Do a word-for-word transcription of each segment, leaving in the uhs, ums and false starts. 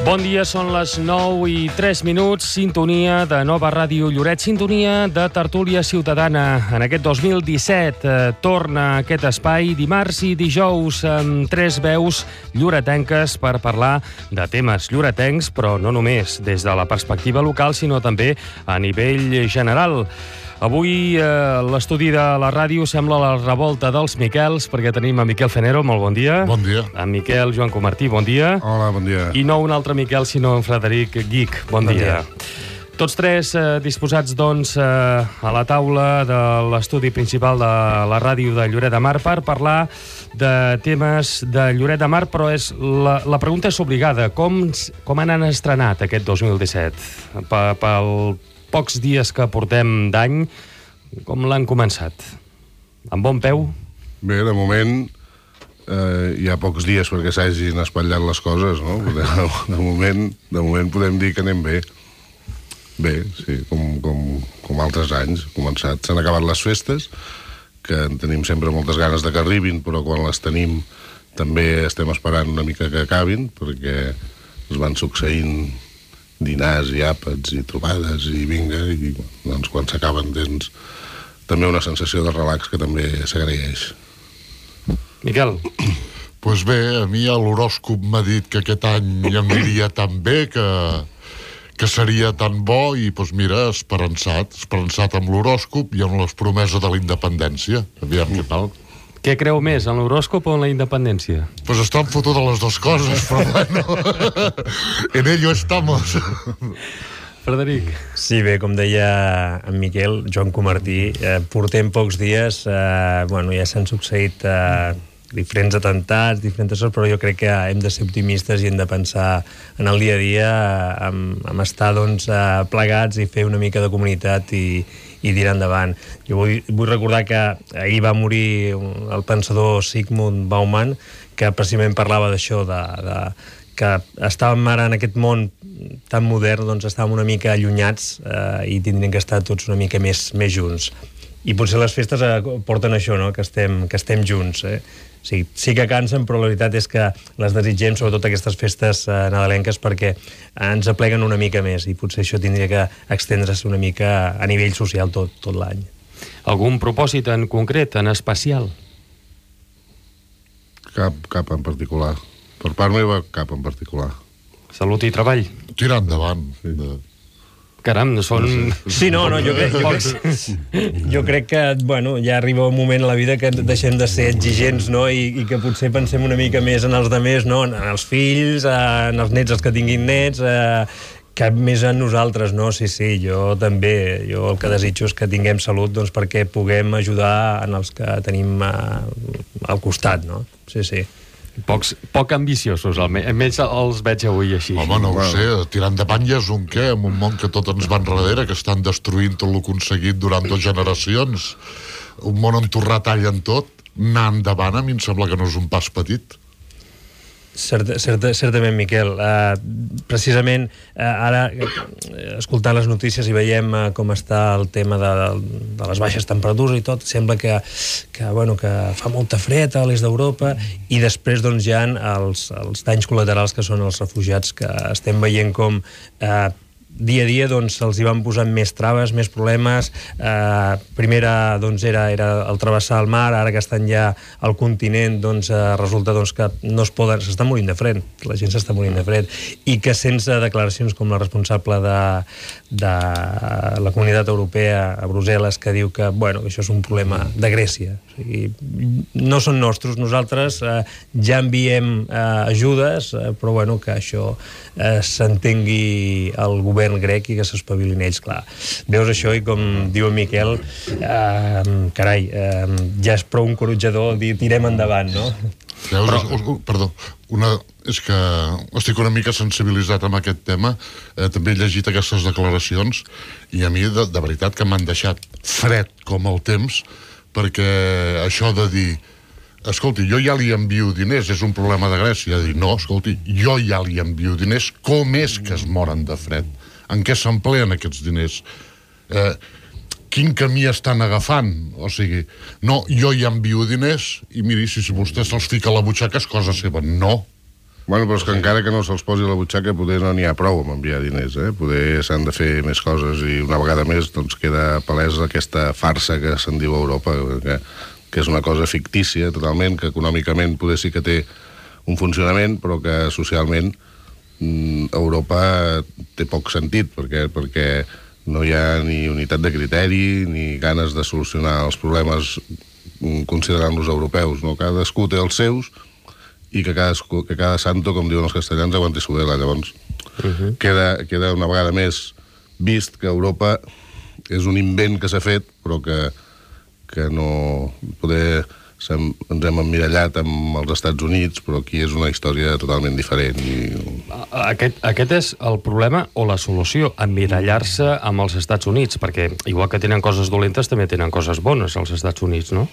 Bon dia, són les nou i tres minuts, sintonia de Nova Ràdio Lloret, sintonia de Tertúlia Ciutadana. En aquest dos mil disset eh, torna aquest espai dimarts i dijous amb tres veus lloretenques per parlar de temes lloretencs, però no només des de la perspectiva local, sinó també a nivell general. Avui eh, l'estudi de la ràdio sembla la revolta dels Miquels, perquè tenim a Miquel Fenero, molt bon dia. Bon dia. A Miquel Joan Comartí, bon dia. Hola, bon dia. I no un altre Miquel, sinó en Frederic Guic, bon, bon dia. dia. Tots tres eh, disposats, doncs, eh, a la taula de l'estudi principal de la ràdio de Lloret de Mar per parlar de temes de Lloret de Mar, però és la, la pregunta és obligada. Com, com han estrenat aquest dos mil disset? Pel pocs dies que portem d'any, com l'han començat? Amb bon peu? Bé, de moment eh, hi ha pocs dies perquè s'hagin espatllat les coses, no? De, de, moment, de moment podem dir que anem bé. Bé, sí, com, com, com altres anys. Començat, s'han acabat les festes, que en tenim sempre moltes ganes de que arribin, però quan les tenim també estem esperant una mica que acabin, perquè es van succeint dinars i àpats i trobades i vinga, i doncs quan s'acaben tens també una sensació de relax que també s'agraeix. Miquel? Doncs pues bé, a mi l'horòscop m'ha dit que aquest any em aniria tan bé, que, que seria tan bo, i doncs pues mira, esperançat, esperançat amb l'horòscop i amb les promeses de la independència. Aviam què tal. Què creu més, en l'horòscop o en la independència? Doncs pues estan fotudes les dues coses, però bueno, en ello estamos. Frederic. Sí, bé, com deia en Miquel, Joan Comartí, eh, portem pocs dies, eh, bueno, ja s'han succeït eh, diferents atentats, diferents coses, però jo crec que hem de ser optimistes i hem de pensar en el dia a dia, en, en estar doncs, eh, plegats i fer una mica de comunitat i, i tirar endavant. Jo vull, vull recordar que ahir va morir el pensador Zygmunt Bauman, que precisament parlava d'això, de, de, que estàvem ara en aquest món tan modern, doncs estàvem una mica allunyats eh, i tindrem que estar tots una mica més, més junts. I potser les festes eh, porten això, no? que, estem, que estem junts. Eh? Sí, sí que cansen, però la veritat és que les desitgem, sobretot aquestes festes eh, nadalenques, perquè ens apleguen una mica més, i potser això tindria que extendre's una mica a nivell social tot, tot l'any. Algun propòsit en concret, en especial? Cap, cap en particular. Per part meva, cap en particular. Salut i treball. Tirar endavant. Sí. Caram, són... Sí, no, no, jo crec, jo crec, jo crec que, bueno, ja arriba un moment a la vida que deixem de ser exigents, no?, I, i que potser pensem una mica més en els demés, no?, en els fills, en els nets, els que tinguin nets, eh, que més en nosaltres, no? Sí, sí, jo també, jo el que desitjo és que tinguem salut, doncs, perquè puguem ajudar en els que tenim eh, al costat, no? Sí, sí. Pocs, poc ambiciosos, almenys els veig avui així. Home, no ho sé, tirant endavant ja és un què, amb un món que tot ens va enrere, que estan destruint tot el aconseguit durant dues generacions. Un món on tu retallen tot, anar endavant a mi em sembla que no és un pas petit. Certa, certa, certament, Miquel. Uh, precisament, uh, ara, uh, escoltant les notícies i veiem uh, com està el tema de, de les baixes temperatures i tot, sembla que, que, bueno, que fa molta fred a l'est d'Europa, i després doncs, hi ha els, els danys col·laterals que són els refugiats, que estem veient com uh, dia a dia doncs, se'ls hi van posant més traves, més problemes. Eh, primera doncs, era, era el travessar el mar, ara que estan ja al continent, doncs, eh, resulta doncs, que no es poden, s'està morint de fred, la gent s'està morint de fred, i que sense declaracions com la responsable de, de la Comunitat Europea a Brussel·les, que diu que, bueno, que això és un problema de Grècia. O sigui, no són nostres, nosaltres eh, ja enviem eh, ajudes, eh, però bueno, que això eh, s'entengui el govern grec i que s'espavilin ells, clar. Veus això i, com diu en Miquel, eh, carai, eh, ja és prou encoratjador dir tirem endavant, no? Veus, Però... és, perdó, una, és que estic una mica sensibilitzat amb aquest tema, eh, també he llegit aquestes declaracions i a mi de, de veritat que m'han deixat fred com el temps, perquè això de dir escolti, jo ja li envio diners, és un problema de Grècia, dir, no, escolti, jo ja li envio diners, com és que es moren de fred? En què s'empleen aquests diners? Eh, quin camí estan agafant? O sigui, no, jo ja envio diners i miri, si, si vostè se'ls fica a la butxaca és cosa seva. No. Bueno, però és que encara que no se'ls posi a la butxaca, poder no n'hi ha prou amb enviar diners, eh? Poder s'han de fer més coses i una vegada més doncs, queda palesa aquesta farsa que se'n diu Europa, que, que és una cosa fictícia totalment, que econòmicament poder sí que té un funcionament, però que socialment mm, Europa té poc sentit, perquè, perquè no hi ha ni unitat de criteri, ni ganes de solucionar els problemes considerant-los europeus, no? Cadascú té els seus, i que cada, que cada santo, com diuen els castellans, aguanti su vela. Llavors, uh-huh. queda, queda una vegada més vist que Europa és un invent que s'ha fet, però que, que no... Poder ens hem emmirallat amb els Estats Units, però aquí és una història totalment diferent. I... Aquest, aquest és el problema o la solució, emmirallar-se amb els Estats Units, perquè igual que tenen coses dolentes, també tenen coses bones als Estats Units, no?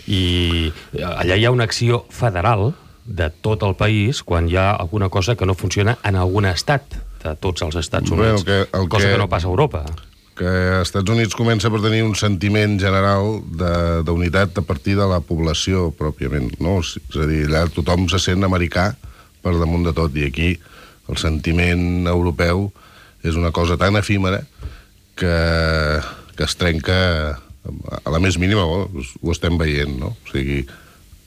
I allà hi ha una acció federal de tot el país quan hi ha alguna cosa que no funciona en algun estat de tots els Estats Units, Bé, el que, el cosa que, que no passa a Europa. Que als Estats Units comença per tenir un sentiment general d'unitat a partir de la població pròpiament, no? És a dir, allà tothom se sent americà per damunt de tot, i aquí el sentiment europeu és una cosa tan efímera que, que es trenca a la més mínima, ho, ho estem veient, no? O sigui,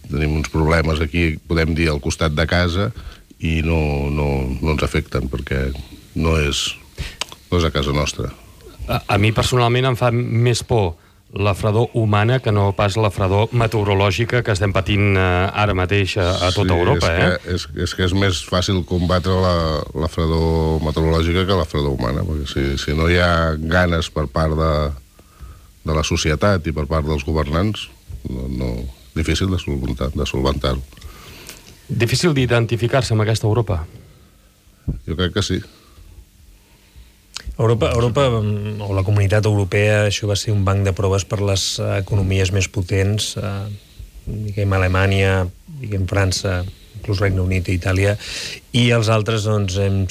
tenim uns problemes aquí, podem dir, al costat de casa, i no, no, no ens afecten, perquè no és, no és a casa nostra. A, a mi personalment em fa més por la fredor humana que no pas la fredor meteorològica que estem patint eh, ara mateix a, a tota sí, Europa. És, eh? que, és, és que és més fàcil combatre la, la fredor meteorològica que la fredor humana, perquè si, si no hi ha ganes per part de, de la societat i per part dels governants, no... no difícil de solventar, de solventar-ho. Difícil d'identificar-se amb aquesta Europa? Jo crec que sí. Europa, Europa, o la comunitat europea, això va ser un banc de proves per les economies més potents, eh, diguem Alemanya, diguem França, inclús Regne Unit i Itàlia, i els altres, doncs, hem,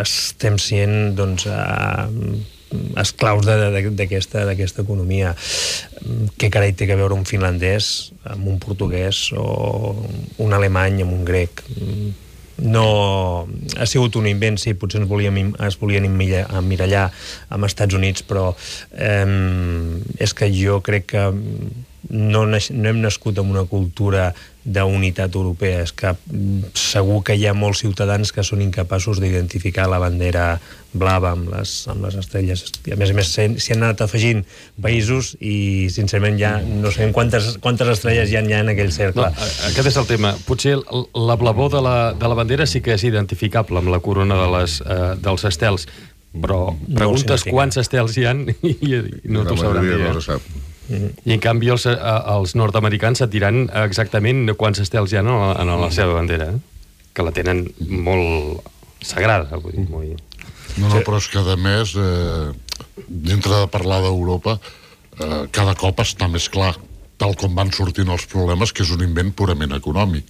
estem sent, doncs, eh, esclaus d'aquesta d'aquesta economia. Què carai té a veure un finlandès amb un portuguès o un alemany amb un grec? No... Ha sigut un invent, sí, potser ens volíem, es volien emmirallar amb Estats Units, però eh, és que jo crec que no, no hem nascut amb una cultura d'unitat europea. És que segur que hi ha molts ciutadans que són incapaços d'identificar la bandera blava amb les, amb les estrelles. I a més a més s'hi han anat afegint països i sincerament ja no sabem quantes, quantes estrelles hi ha, hi ha en aquell cercle. No, aquest és el tema. Potser la blavor de la, de la bandera sí que és identificable amb la corona de les, eh, dels estels, però preguntes no quants estels hi ha i, i no t'ho sabran dir. No se sap. I en canvi els, els nord-americans et diran exactament quants estels hi ha en la, en la seva bandera, eh? Que la tenen molt sagrada, vull dir, molt... No, no, però és que a més, eh, dintre de parlar d'Europa, eh, cada cop està més clar, tal com van sortint els problemes, que és un invent purament econòmic.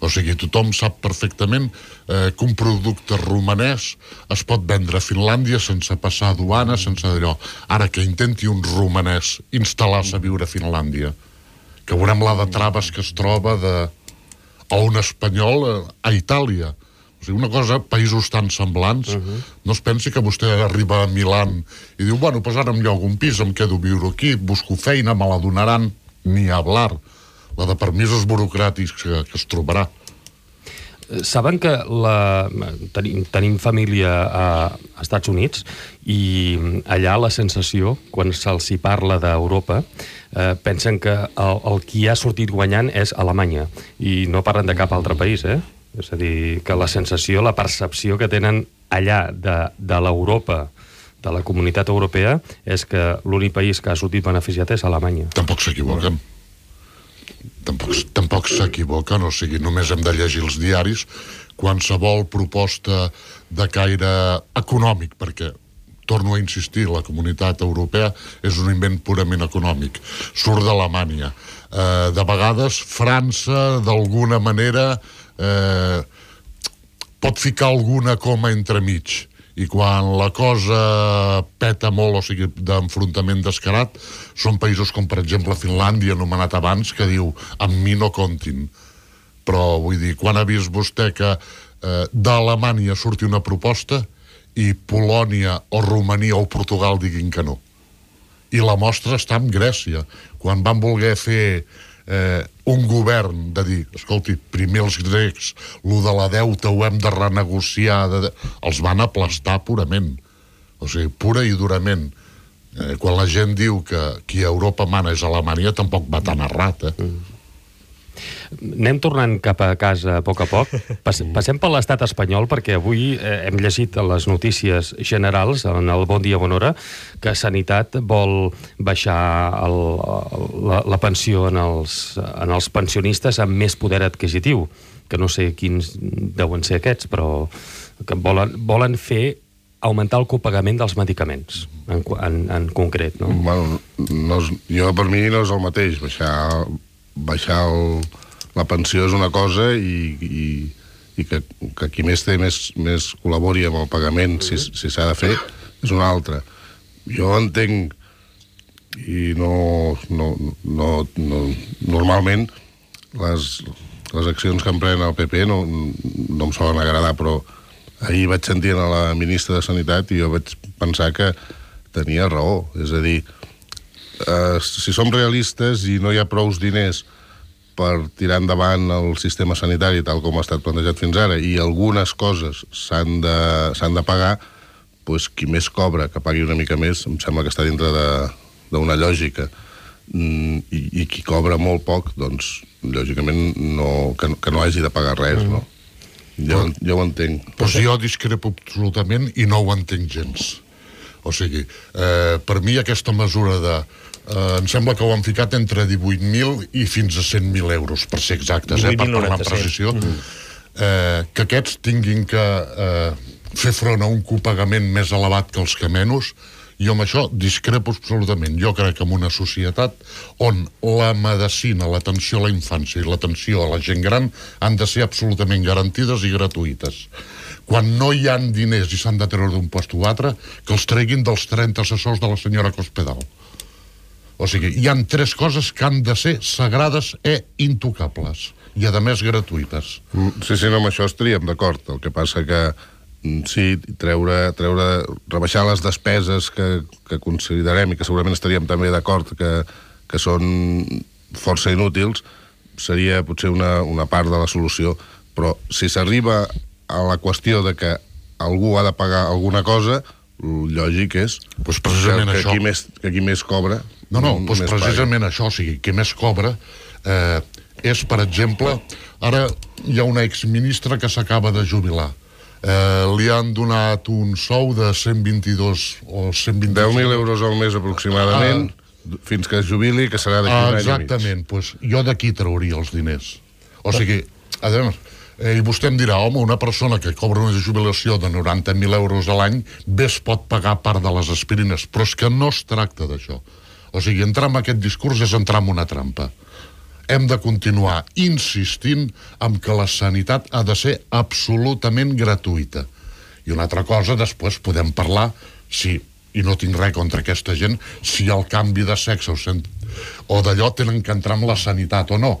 O sigui, tothom sap perfectament eh, que un producte romanès es pot vendre a Finlàndia sense passar duana, sense d'allò. Ara que intenti un romanès instal·lar-se a viure a Finlàndia, que veurem la de traves que es troba de... o un espanyol a Itàlia. O sigui, una cosa, països tan semblants, uh-huh. No es pensi que vostè arriba a Milan i diu, bueno, doncs ara em llogo un pis, em quedo a viure aquí, busco feina, me la donaran, ni hablar. La de permisos burocràtics que, que es trobarà. Saben que la, tenim, tenim família a Estats Units i allà la sensació, quan se'ls hi parla d'Europa, eh, pensen que el, el qui ha sortit guanyant és Alemanya i no parlen de cap altre país, eh? És a dir, que la sensació, la percepció que tenen allà de, de l'Europa, de la comunitat europea, és que l'únic país que ha sortit beneficiat és Alemanya. Tampoc s'equivoquen. Tampoc, tampoc s'equivoquen, o sigui, només hem de llegir els diaris. Qualsevol proposta de caire econòmic, perquè, torno a insistir, la comunitat europea és un invent purament econòmic. Surt d'Alemanya. Eh, de vegades, França, d'alguna manera, eh, pot ficar alguna coma entremig. I quan la cosa peta molt, o sigui, d'enfrontament descarat, són països com, per exemple, Finlàndia, anomenat abans, que diu, amb mi no comptin. Però, vull dir, quan ha vist vostè que eh, d'Alemanya surti una proposta i Polònia o Romania o Portugal diguin que no. I la mostra està en Grècia. Quan van voler fer eh, un govern de dir, escolti, primer els grecs, lo de la deuta ho hem de renegociar, de... els van aplastar purament. O sigui, pura i durament. Eh, quan la gent diu que qui a Europa mana és Alemanya, tampoc va tan errat, eh? Mm. Anem tornant cap a casa a poc a poc. Pas, passem per l'estat espanyol, perquè avui eh, hem llegit a les notícies generals, en el Bon Dia, Bona Hora, que Sanitat vol baixar el, la, la pensió en els, en els pensionistes amb més poder adquisitiu, que no sé quins deuen ser aquests, però que volen, volen fer augmentar el copagament dels medicaments, en, en, en concret, no? Bueno, no és, jo per mi no és el mateix. Baixar, baixar el, la pensió és una cosa i, i, i que, que qui més té més, més col·labori amb el pagament, si, si s'ha de fer, és una altra. Jo entenc i no, no, no, no normalment les, les accions que emprèn el P P no, no em solen agradar, però ahir vaig sentir a la ministra de Sanitat i jo vaig pensar que tenia raó. És a dir, eh, si som realistes i no hi ha prous diners per tirar endavant el sistema sanitari tal com ha estat plantejat fins ara i algunes coses s'han de, s'han de pagar, doncs qui més cobra, que pagui una mica més, em sembla que està dintre d'una lògica. Mm, i, i qui cobra molt poc, doncs, lògicament, no, que, que no hagi de pagar res, no? Jo, jo ho entenc. Pues jo discrepo absolutament i no ho entenc gens. O sigui, eh, per mi aquesta mesura de... Eh, em sembla que ho han ficat entre divuit mil i fins a cent mil euros, per ser exactes, eh, per parlar amb precisió. Mm. Eh, que aquests tinguin que eh, fer front a un copagament més elevat que els que menys, jo amb això discrepo absolutament. Jo crec que en una societat on la medicina, l'atenció a la infància i l'atenció a la gent gran han de ser absolutament garantides i gratuïtes. Quan no hi ha diners i s'han de treure d'un post o altre, que els treguin dels trenta assessors de la senyora Cospedal. O sigui, hi han tres coses que han de ser sagrades e intocables, i a més gratuïtes. Sí, sí, no, amb això estaríem d'acord. El que passa que sí, treure, treure, rebaixar les despeses que, que considerem i que segurament estaríem també d'acord que, que són força inútils, seria potser una, una part de la solució. Però si s'arriba a la qüestió de que algú ha de pagar alguna cosa, lògic és pues precisament que, que, això. qui més, que qui més cobra... No, no, pues precisament paga. Això, o sigui, qui més cobra eh, és, per exemple, ara hi ha una exministra que s'acaba de jubilar. Eh, li han donat un sou de cent vint-i-dos o cent vint... deu mil euros al mes aproximadament, ah, fins que es jubili, que serà d'aquí ah, un any i mig. Exactament, pues, jo d'aquí trauria els diners. O sigui, a veure, eh, i vostè em dirà, home, una persona que cobra una jubilació de noranta mil euros a l'any bé es pot pagar part de les aspirines, però és que no es tracta d'això. O sigui, entrar en aquest discurs és entrar en una trampa. Hem de continuar insistint en que la sanitat ha de ser absolutament gratuïta. I una altra cosa, després podem parlar, si, i no tinc res contra aquesta gent, si el canvi de sexe o, sent, o d'allò tenen que entrar en la sanitat o no.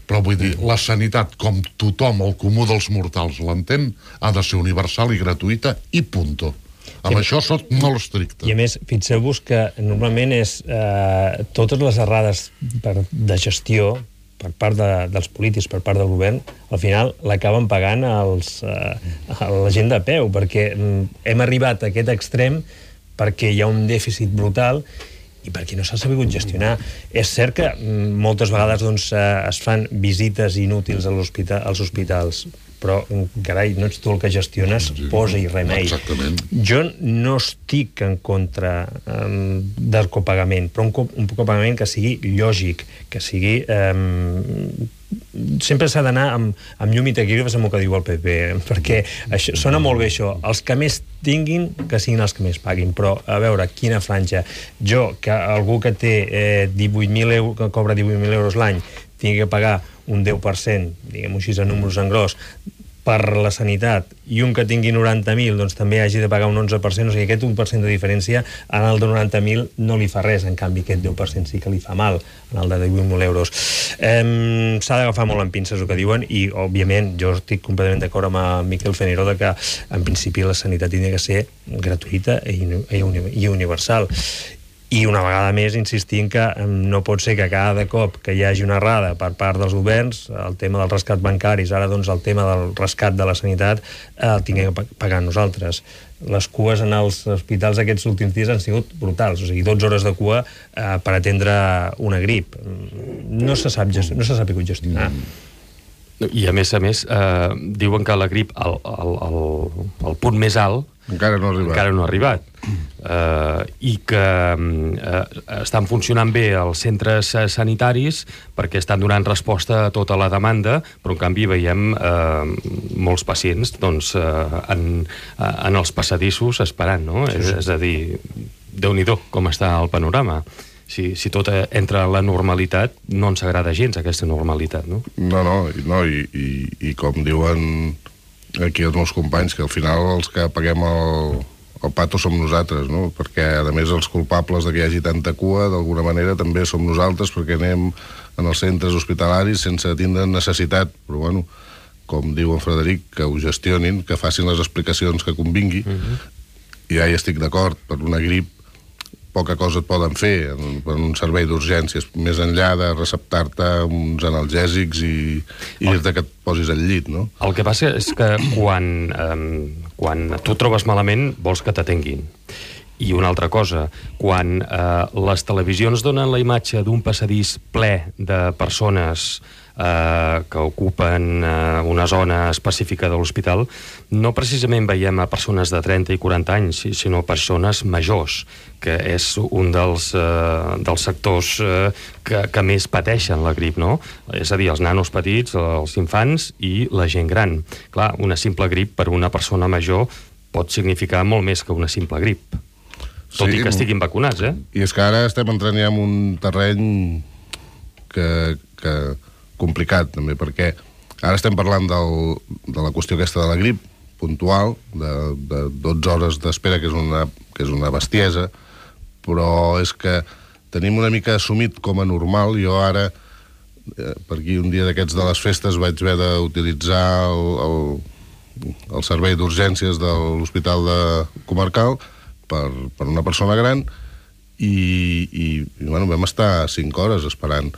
Però vull dir, la sanitat, com tothom, el comú dels mortals l'entén, ha de ser universal i gratuïta i punto. Amb I, això soc molt estricte. I a més, fixeu-vos que normalment és eh, totes les errades per, de gestió per part de, dels polítics, per part del govern, al final l'acaben pagant els, eh, a la gent de peu, perquè hem arribat a aquest extrem perquè hi ha un dèficit brutal i perquè no s'ha sabut gestionar. És cert que moltes vegades doncs, es fan visites inútils a l'hospital, als hospitals, però, carai, no ets tu el que gestiones, posa-hi remei. Exactament. Jo no estic en contra um, del copagament, però un, cop, un copagament que sigui lògic, que sigui... Um, sempre s'ha d'anar amb, amb llum i taquígrafs amb el que diu el P P, perquè això, sona molt bé això, els que més tinguin que siguin els que més paguin, però a veure, quina franja. Jo, que algú que té eh, divuit mil euros, que cobra divuit mil euros l'any, tingui que pagar un deu per cent, diguem-ho així, a números en gros, per la sanitat i un que tingui noranta mil doncs també hagi de pagar un onze per cent, o sigui, aquest un per cent de diferència en el de noranta mil no li fa res, en canvi aquest deu per cent sí que li fa mal en el de divuit mil euros. Eh, s'ha d'agafar molt en pinces el que diuen i, òbviament, jo estic completament d'acord amb el Miquel Fenero de que, en principi, la sanitat hauria de ser gratuïta i, i, i universal. I una vegada més insistim que no pot ser que cada cop que hi hagi una errada per part dels governs, el tema dels rescats bancaris, ara doncs el tema del rescat de la sanitat, eh, el tinguem que pagar nosaltres. Les cues en els hospitals aquests últims dies han sigut brutals, o sigui, dotze hores de cua eh, per atendre una grip. No se sap, no s'ha sabut gestionar. I a més a més, eh, diuen que la grip, al, al, al, al punt més alt, encara no ha arribat. Encara no ha arribat. Uh, I que uh, estan funcionant bé els centres sanitaris perquè estan donant resposta a tota la demanda, però en canvi veiem uh, molts pacients doncs, uh, en, uh, en els passadissos esperant, no? Sí, sí. És, és a dir, Déu-n'hi-do com està el panorama. Si, si tot entra a la normalitat, no ens agrada gens aquesta normalitat, no? No, no, no i, i, i com diuen aquí els meus companys, que al final els que paguem el, el pato som nosaltres, no? Perquè, a més, els culpables de que hi hagi tanta cua, d'alguna manera, també som nosaltres, perquè anem en els centres hospitalaris sense tindre necessitat, però, bueno, com diu en Frederic, que ho gestionin, que facin les explicacions que convingui, uh-huh. I ja hi estic d'acord, per una grip, poca cosa et poden fer en, en un servei d'urgències, més enllà de receptar-te uns analgèsics i, i dir-te que et posis al llit, no? El que passa és que quan, eh, quan tu et trobes malament vols que t'atenguin. I una altra cosa, quan eh, les televisions donen la imatge d'un passadís ple de persones eh, que ocupen eh, una zona específica de l'hospital, no precisament veiem a persones de trenta i quaranta anys, sinó persones majors, que és un dels, eh, dels sectors eh, que, que més pateixen la grip, no? És a dir, els nanos petits, els infants i la gent gran. Clar, una simple grip per una persona major pot significar molt més que una simple grip. Tot sí, i que estiguin vacunats, eh? I és que ara estem entrant ja en un terreny que, que complicat, també, perquè ara estem parlant del, de la qüestió aquesta de la grip puntual, de, de dotze hores d'espera, que és una, que és una bestiesa, però és que tenim una mica assumit com a normal. Jo ara, eh, per aquí un dia d'aquests de les festes, vaig haver d'utilitzar el, el, el servei d'urgències de l'Hospital de Comarcal per, per una persona gran i, i, i bueno, vam estar cinc hores esperant.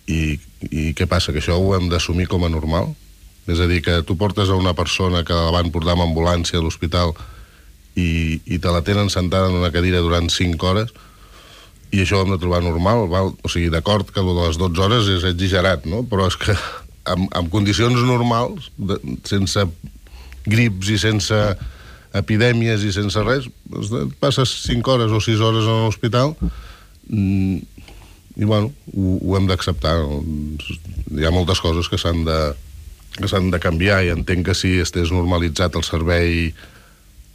I, I què passa? Que això ho hem d'assumir com a normal? És a dir, que tu portes a una persona que la van portar amb ambulància a l'hospital i, i te la tenen sentada en una cadira durant cinc hores i això ho hem de trobar normal, val? O sigui, d'acord que el de les dotze hores és exagerat, no? Però és que en, en condicions normals, de, sense grips i sense epidèmies i sense res, passes cinc hores o sis hores en l'hospital i, bueno, ho, ho hem d'acceptar. Hi ha moltes coses que s'han de, que s'han de canviar i entenc que si estigués normalitzat el servei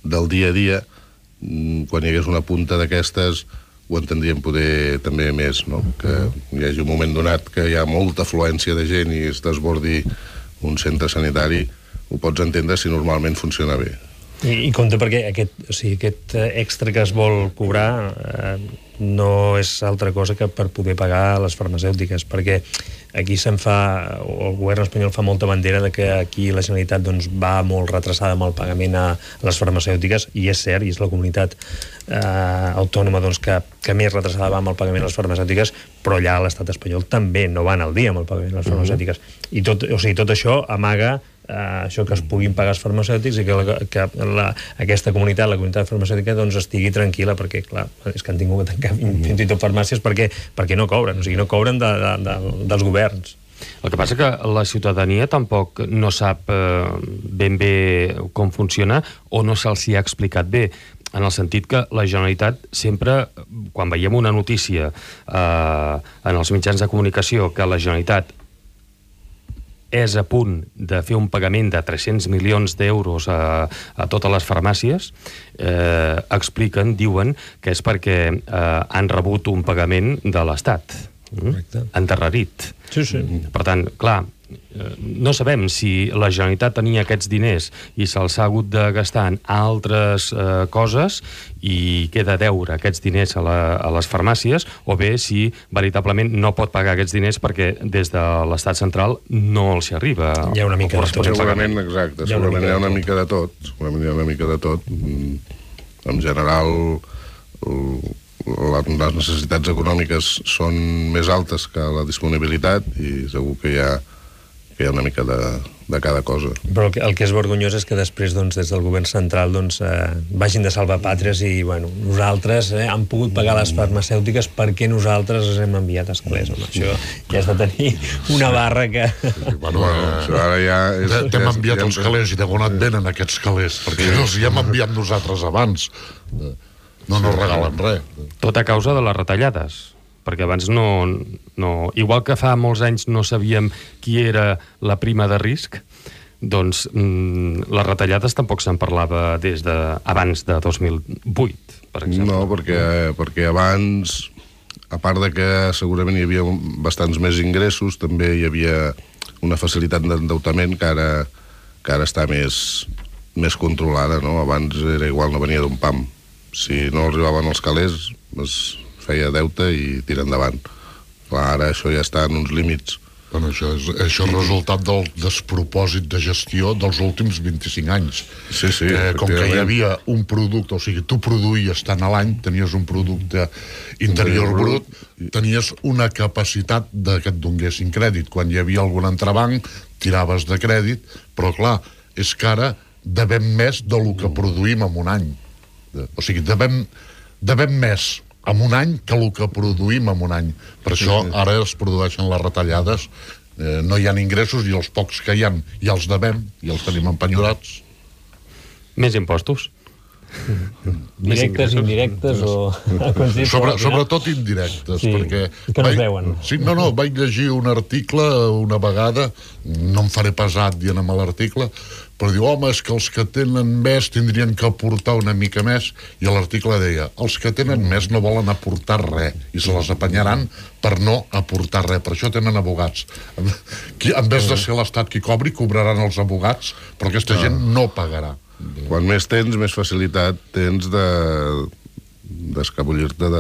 del dia a dia, quan hi hagués una punta d'aquestes, ho entendríem poder també més, no? Que hi hagi un moment donat que hi ha molta afluència de gent i es desbordi un centre sanitari, ho pots entendre si normalment funciona bé. I, i compte perquè aquest, o sigui, aquest extra que es vol cobrar eh, no és altra cosa que per poder pagar les farmacèutiques, perquè aquí se'n fa, o el govern espanyol fa molta bandera de que aquí la Generalitat doncs, va molt retrasada amb el pagament a les farmacèutiques, i és cert, i és la comunitat eh, autònoma doncs, que, que més retrasada va amb el pagament a les farmacèutiques, però allà a l'estat espanyol també no van al dia amb el pagament a les farmacèutiques. I tot, o sigui, tot això amaga Uh, això que es puguin pagar els farmacèutics i que, la, que la, aquesta comunitat, la comunitat farmacèutica, doncs estigui tranquil·la, perquè, clar, és que han tingut que tancar fins i tot farmàcies perquè, perquè no cobren, o sigui, no cobren de, de, de, dels governs. El que passa que la ciutadania tampoc no sap eh, ben bé com funciona o no se'ls hi ha explicat bé, en el sentit que la Generalitat sempre, quan veiem una notícia eh, en els mitjans de comunicació que la Generalitat és a punt de fer un pagament de tres-cents milions d'euros a, a totes les farmàcies, eh, expliquen, diuen, que és perquè eh, han rebut un pagament de l'Estat. Mm? Endarrerit. Sí, sí. Per tant, clar, no sabem si la Generalitat tenia aquests diners i se'ls ha hagut de gastar en altres eh, coses i queda a deure aquests diners a, la, a les farmàcies, o bé si veritablement no pot pagar aquests diners perquè des de l'estat central no els hi arriba. Hi ha una mica de tot. Segurament, exacte, hi segurament hi ha una mica de tot. Segurament hi ha una mica de tot. En general, les necessitats econòmiques són més altes que la disponibilitat i segur que hi ha, que hi ha una mica de, de cada cosa. Però el que, el que és vergonyós és que després, doncs, des del govern central, doncs, eh, vagin de salvar pàtries i, bueno, nosaltres eh, hem pogut pagar les farmacèutiques perquè nosaltres els hem enviat a escalers. Home, això ja has de tenir una barra que... Sí, bueno, bueno, això ara ja... És, t'hem ja enviat ja els calés i de on et venen aquests calés? Perquè sí. els hi hem enviat nosaltres abans. No nos regalen res. Tot a causa de les retallades, perquè abans no, no... Igual que fa molts anys no sabíem qui era la prima de risc, doncs mm, les retallades tampoc se'n parlava des de abans de dos mil vuit, per exemple. No, perquè, perquè abans, a part de que segurament hi havia bastants més ingressos, també hi havia una facilitat d'endeutament que ara, que ara està més, més controlada, no? Abans era igual, no venia d'un pam. Si no arribaven els calés, es feia deute i tira endavant. Clar, ara això ja està en uns límits. Bueno, això és, això és resultat del despropòsit de gestió dels últims vint-i-cinc anys. Sí, sí. Eh, com que hi havia un producte, o sigui, tu produïes tant a l'any, tenies un producte interior brut, tenies una capacitat de que et donguessin crèdit. Quan hi havia algun entrebanc, tiraves de crèdit, però clar, és que ara devem més del que produïm en un any. O sigui, devem, devem més en un any que el que produïm en un any. Per això ara es produeixen les retallades, eh, no hi ha ingressos i els pocs que hi ha ja els devem i els tenim empenyorats. Més impostos. Directes, indirectes o... Sobre, sobretot indirectes, sí, perquè... que no es veuen. Sí, no, no, vaig llegir un article una vegada, no em faré pesat dient amb l'article, però diu, home, és que els que tenen més tindrien que aportar una mica més, i l'article deia, els que tenen més no volen aportar res, i se les apanyaran per no aportar res, per això tenen abogats. En vez de ser l'Estat qui cobri, cobraran els abogats, però aquesta gent no pagarà. Quan més tens, més facilitat tens de d'escabollir-te de,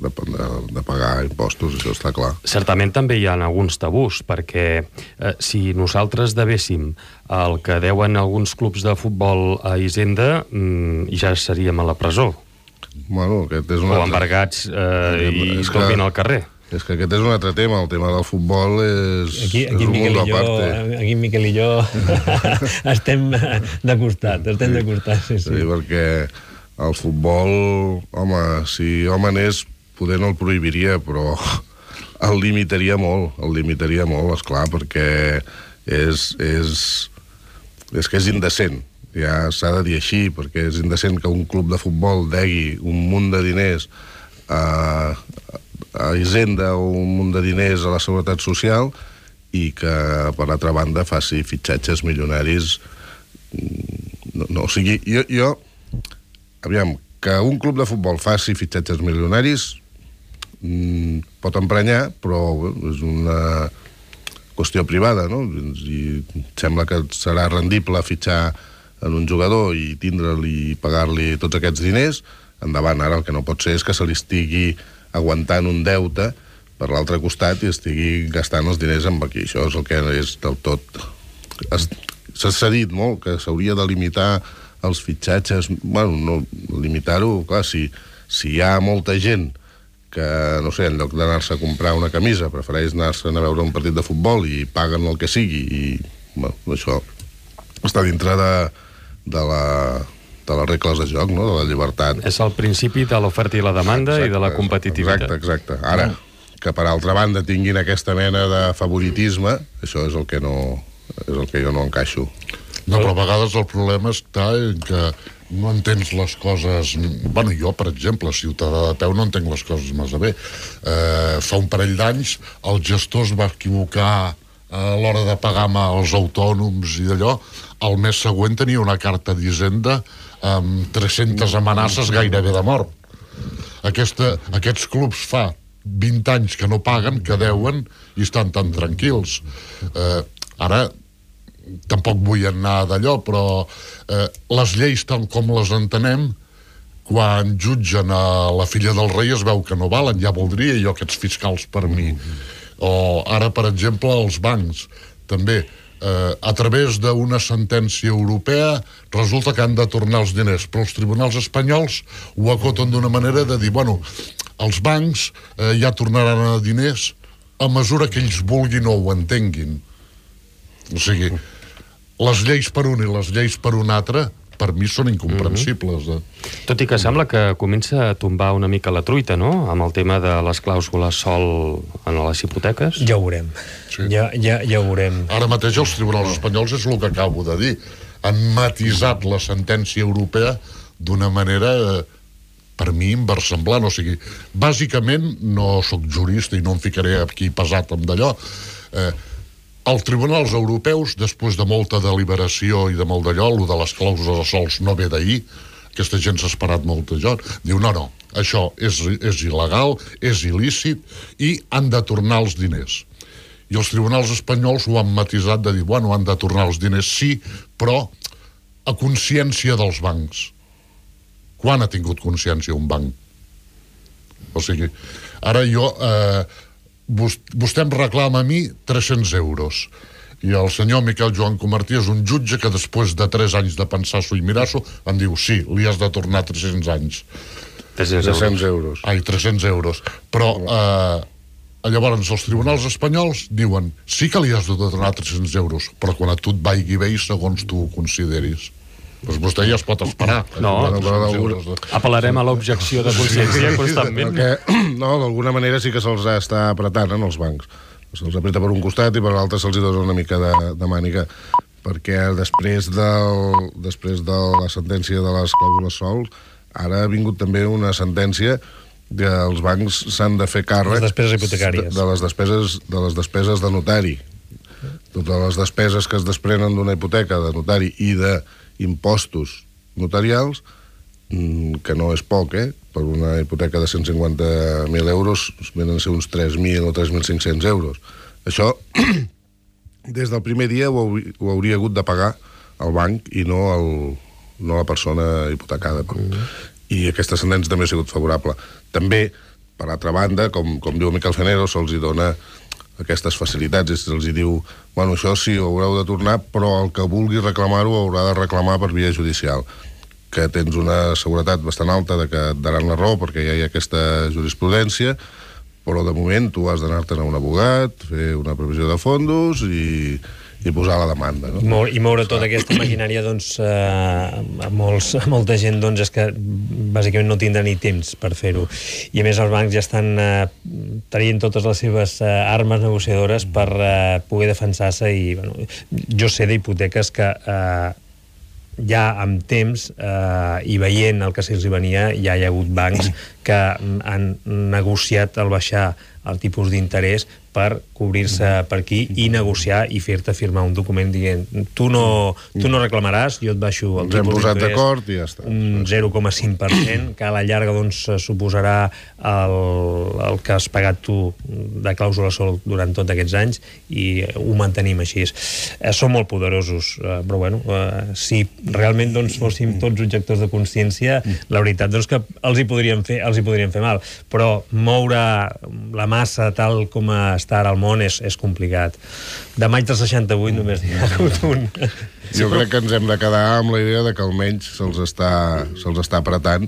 de, de, de pagar impostos, això està clar. Certament també hi ha alguns tabús, perquè eh, si nosaltres devéssim el que deuen alguns clubs de futbol a Hisenda, mm, ja seríem a la presó. Bueno, aquest és un o altre... embargats eh, i dormint al carrer. És que aquest és un altre tema, el tema del futbol és, aquí, aquí és un Miquel mundo i jo, aparte. aquí Miquel i jo estem de costat, estem de costat, sí, sí. Sí, perquè el futbol, home, si home n'és, poder no el prohibiria, però el limitaria molt, el limitaria molt, esclar, perquè és, és, és que és indecent. Ja s'ha de dir així, perquè és indecent que un club de futbol degui un munt de diners a, a Hisenda o un munt de diners a la Seguretat Social i que, per altra banda, faci fitxatges milionaris. No, no, o sigui, jo, jo aviam, que un club de futbol faci fitxatges milionaris mmm, pot emprenyar, però és una qüestió privada, no? I sembla que serà rendible fitxar en un jugador i tindre-li i pagar-li tots aquests diners, endavant. Ara el que no pot ser és que se li estigui aguantant un deute per l'altre costat i estigui gastant els diners amb aquí. Això és el que és del tot... S'ha dit molt que s'hauria de limitar els fitxatges, bueno, no limitar-ho, clar, si, si hi ha molta gent que, no sé, en lloc d'anar-se a comprar una camisa, prefereix anar-se a veure un partit de futbol i paguen el que sigui, i, bueno, això està dintre de, de la... de les regles de joc, no? De la llibertat. És el principi de l'oferta i la demanda, exacte, i de la competitivitat. Exacte, exacte. Ara, que per altra banda tinguin aquesta mena de favoritisme, això és el que no, és el que jo no encaixo. No, però a vegades el problema està en que no entens les coses... Bueno, jo, per exemple, ciutadà de peu, no entenc les coses massa bé. Eh, fa un parell d'anys el gestor es va equivocar a l'hora de pagar als autònoms i d'allò. El mes següent tenia una carta d'Hisenda amb tres-centes amenaces gairebé de mort. Aquesta, aquests clubs fa vint anys que no paguen, que deuen, i estan tan tranquils. Eh, Ara, tampoc vull anar d'allò, però eh, les lleis tal com les entenem, quan jutgen a la filla del rei es veu que no valen, ja voldria jo aquests fiscals per mi. O ara, per exemple, els bancs, també, eh, a través d'una sentència europea resulta que han de tornar els diners, però els tribunals espanyols ho acoten d'una manera de dir, bueno, els bancs eh, ja tornaran a diners a mesura que ells vulguin o ho entenguin. O sigui, les lleis per un i les lleis per un altre per mi són incomprensibles. Eh? Tot i que sembla que comença a tombar una mica la truita, no?, amb el tema de les clàusules sol en les hipoteques. Ja ho veurem. Sí. Ja, ja, ja ho veurem. Ara mateix els tribunals espanyols és el que acabo de dir. Han matisat la sentència europea d'una manera, eh, per mi, inversemblant. O sigui, bàsicament, no sóc jurista i no em ficaré aquí pesat amb d'allò, eh, els tribunals europeus, després de molta deliberació i de molt d'allò, el de les clàusules de sols no ve d'ahir, aquesta gent s'ha esperat molt de joc, diu, no, no, això és, és il·legal, és il·lícit, i han de tornar els diners. I els tribunals espanyols ho han matisat de dir, bueno, han de tornar els diners, sí, però a consciència dels bancs. Quan ha tingut consciència un banc? O sigui, ara jo... Eh, vostè em reclama a mi tres-cents euros i el senyor Miquel Joan Comartí és un jutge que després de tres anys de pensar-s'ho i mirar-s'ho em diu, sí, li has de tornar tres-cents anys. tres-cents euros. Ai, tres-cents euros. Però eh, llavors els tribunals espanyols diuen, sí que li has de tornar tres-cents euros, però quan a tu et vagi bé i segons tu ho consideris. Doncs vostè ja es pot esperar. No, apel·larem a l'objecció de consciència constantment. Perquè, no, d'alguna manera sí que se'ls està apretant en els bancs. Se'ls apreta per un costat i per l'altre se'ls dona una mica de, de màniga, perquè després, del, després de la sentència de les clàusules sols, ara ha vingut també una sentència que els bancs s'han de fer càrrec les despeses hipotecàries. De les despeses, de les despeses de notari. Totes les despeses que es desprenen d'una hipoteca de notari i de impostos notarials, que no és poc, eh? Per una hipoteca de cent cinquanta mil euros venen a ser uns tres mil o tres mil cinc-cents euros. Això, des del primer dia ho, ho hauria hagut de pagar el banc i no, el, no la persona hipotecada. Mm. I aquesta sentència també ha sigut favorable. També, per altra banda, com, com diu Miquel Fenero, se'ls hi dona aquestes facilitats, i se'ls diu, bueno, això sí, ho haureu de tornar, però el que vulgui reclamar-ho haurà de reclamar per via judicial, que tens una seguretat bastant alta de que et daran la raó perquè ja hi ha aquesta jurisprudència, però de moment tu has d'anar-te'n a un abogat, fer una previsió de fondos i, i posar la demanda. No? I, moure, i moure tota aquesta maquinària, doncs, eh, a, molts, a molta gent, doncs, és que bàsicament no tindrà ni temps per fer-ho. I a més els bancs ja estan eh, tenint totes les seves eh, armes negociadores per eh, poder defensar-se i, bueno, jo sé d'hipoteques que eh, ja amb temps eh, i veient el que se'ls venia, ja hi ha hagut bancs que han negociat el baixar el tipus d'interès per cobrir-se per aquí i negociar i fer-te firmar un document dient tu no, tu no reclamaràs, jo et baixo el tipus d'interès. Ens hem posat d'acord i ja està. Un zero coma cinc per cent, que a la llarga doncs, suposarà el, el que has pagat tu de clàusula sol durant tots aquests anys i ho mantenim així. Eh, són molt poderosos, eh, però bueno, eh, si realment doncs, fóssim tots objectors de consciència, la veritat doncs, que els hi podríem fer, els hi podríem fer mal, però moure la massa tal com està ara al món és, és complicat. De maig del seixanta-vuit només n'hi ha hagut un. Jo crec que ens hem de quedar amb la idea de que almenys se'ls està, se'ls està apretant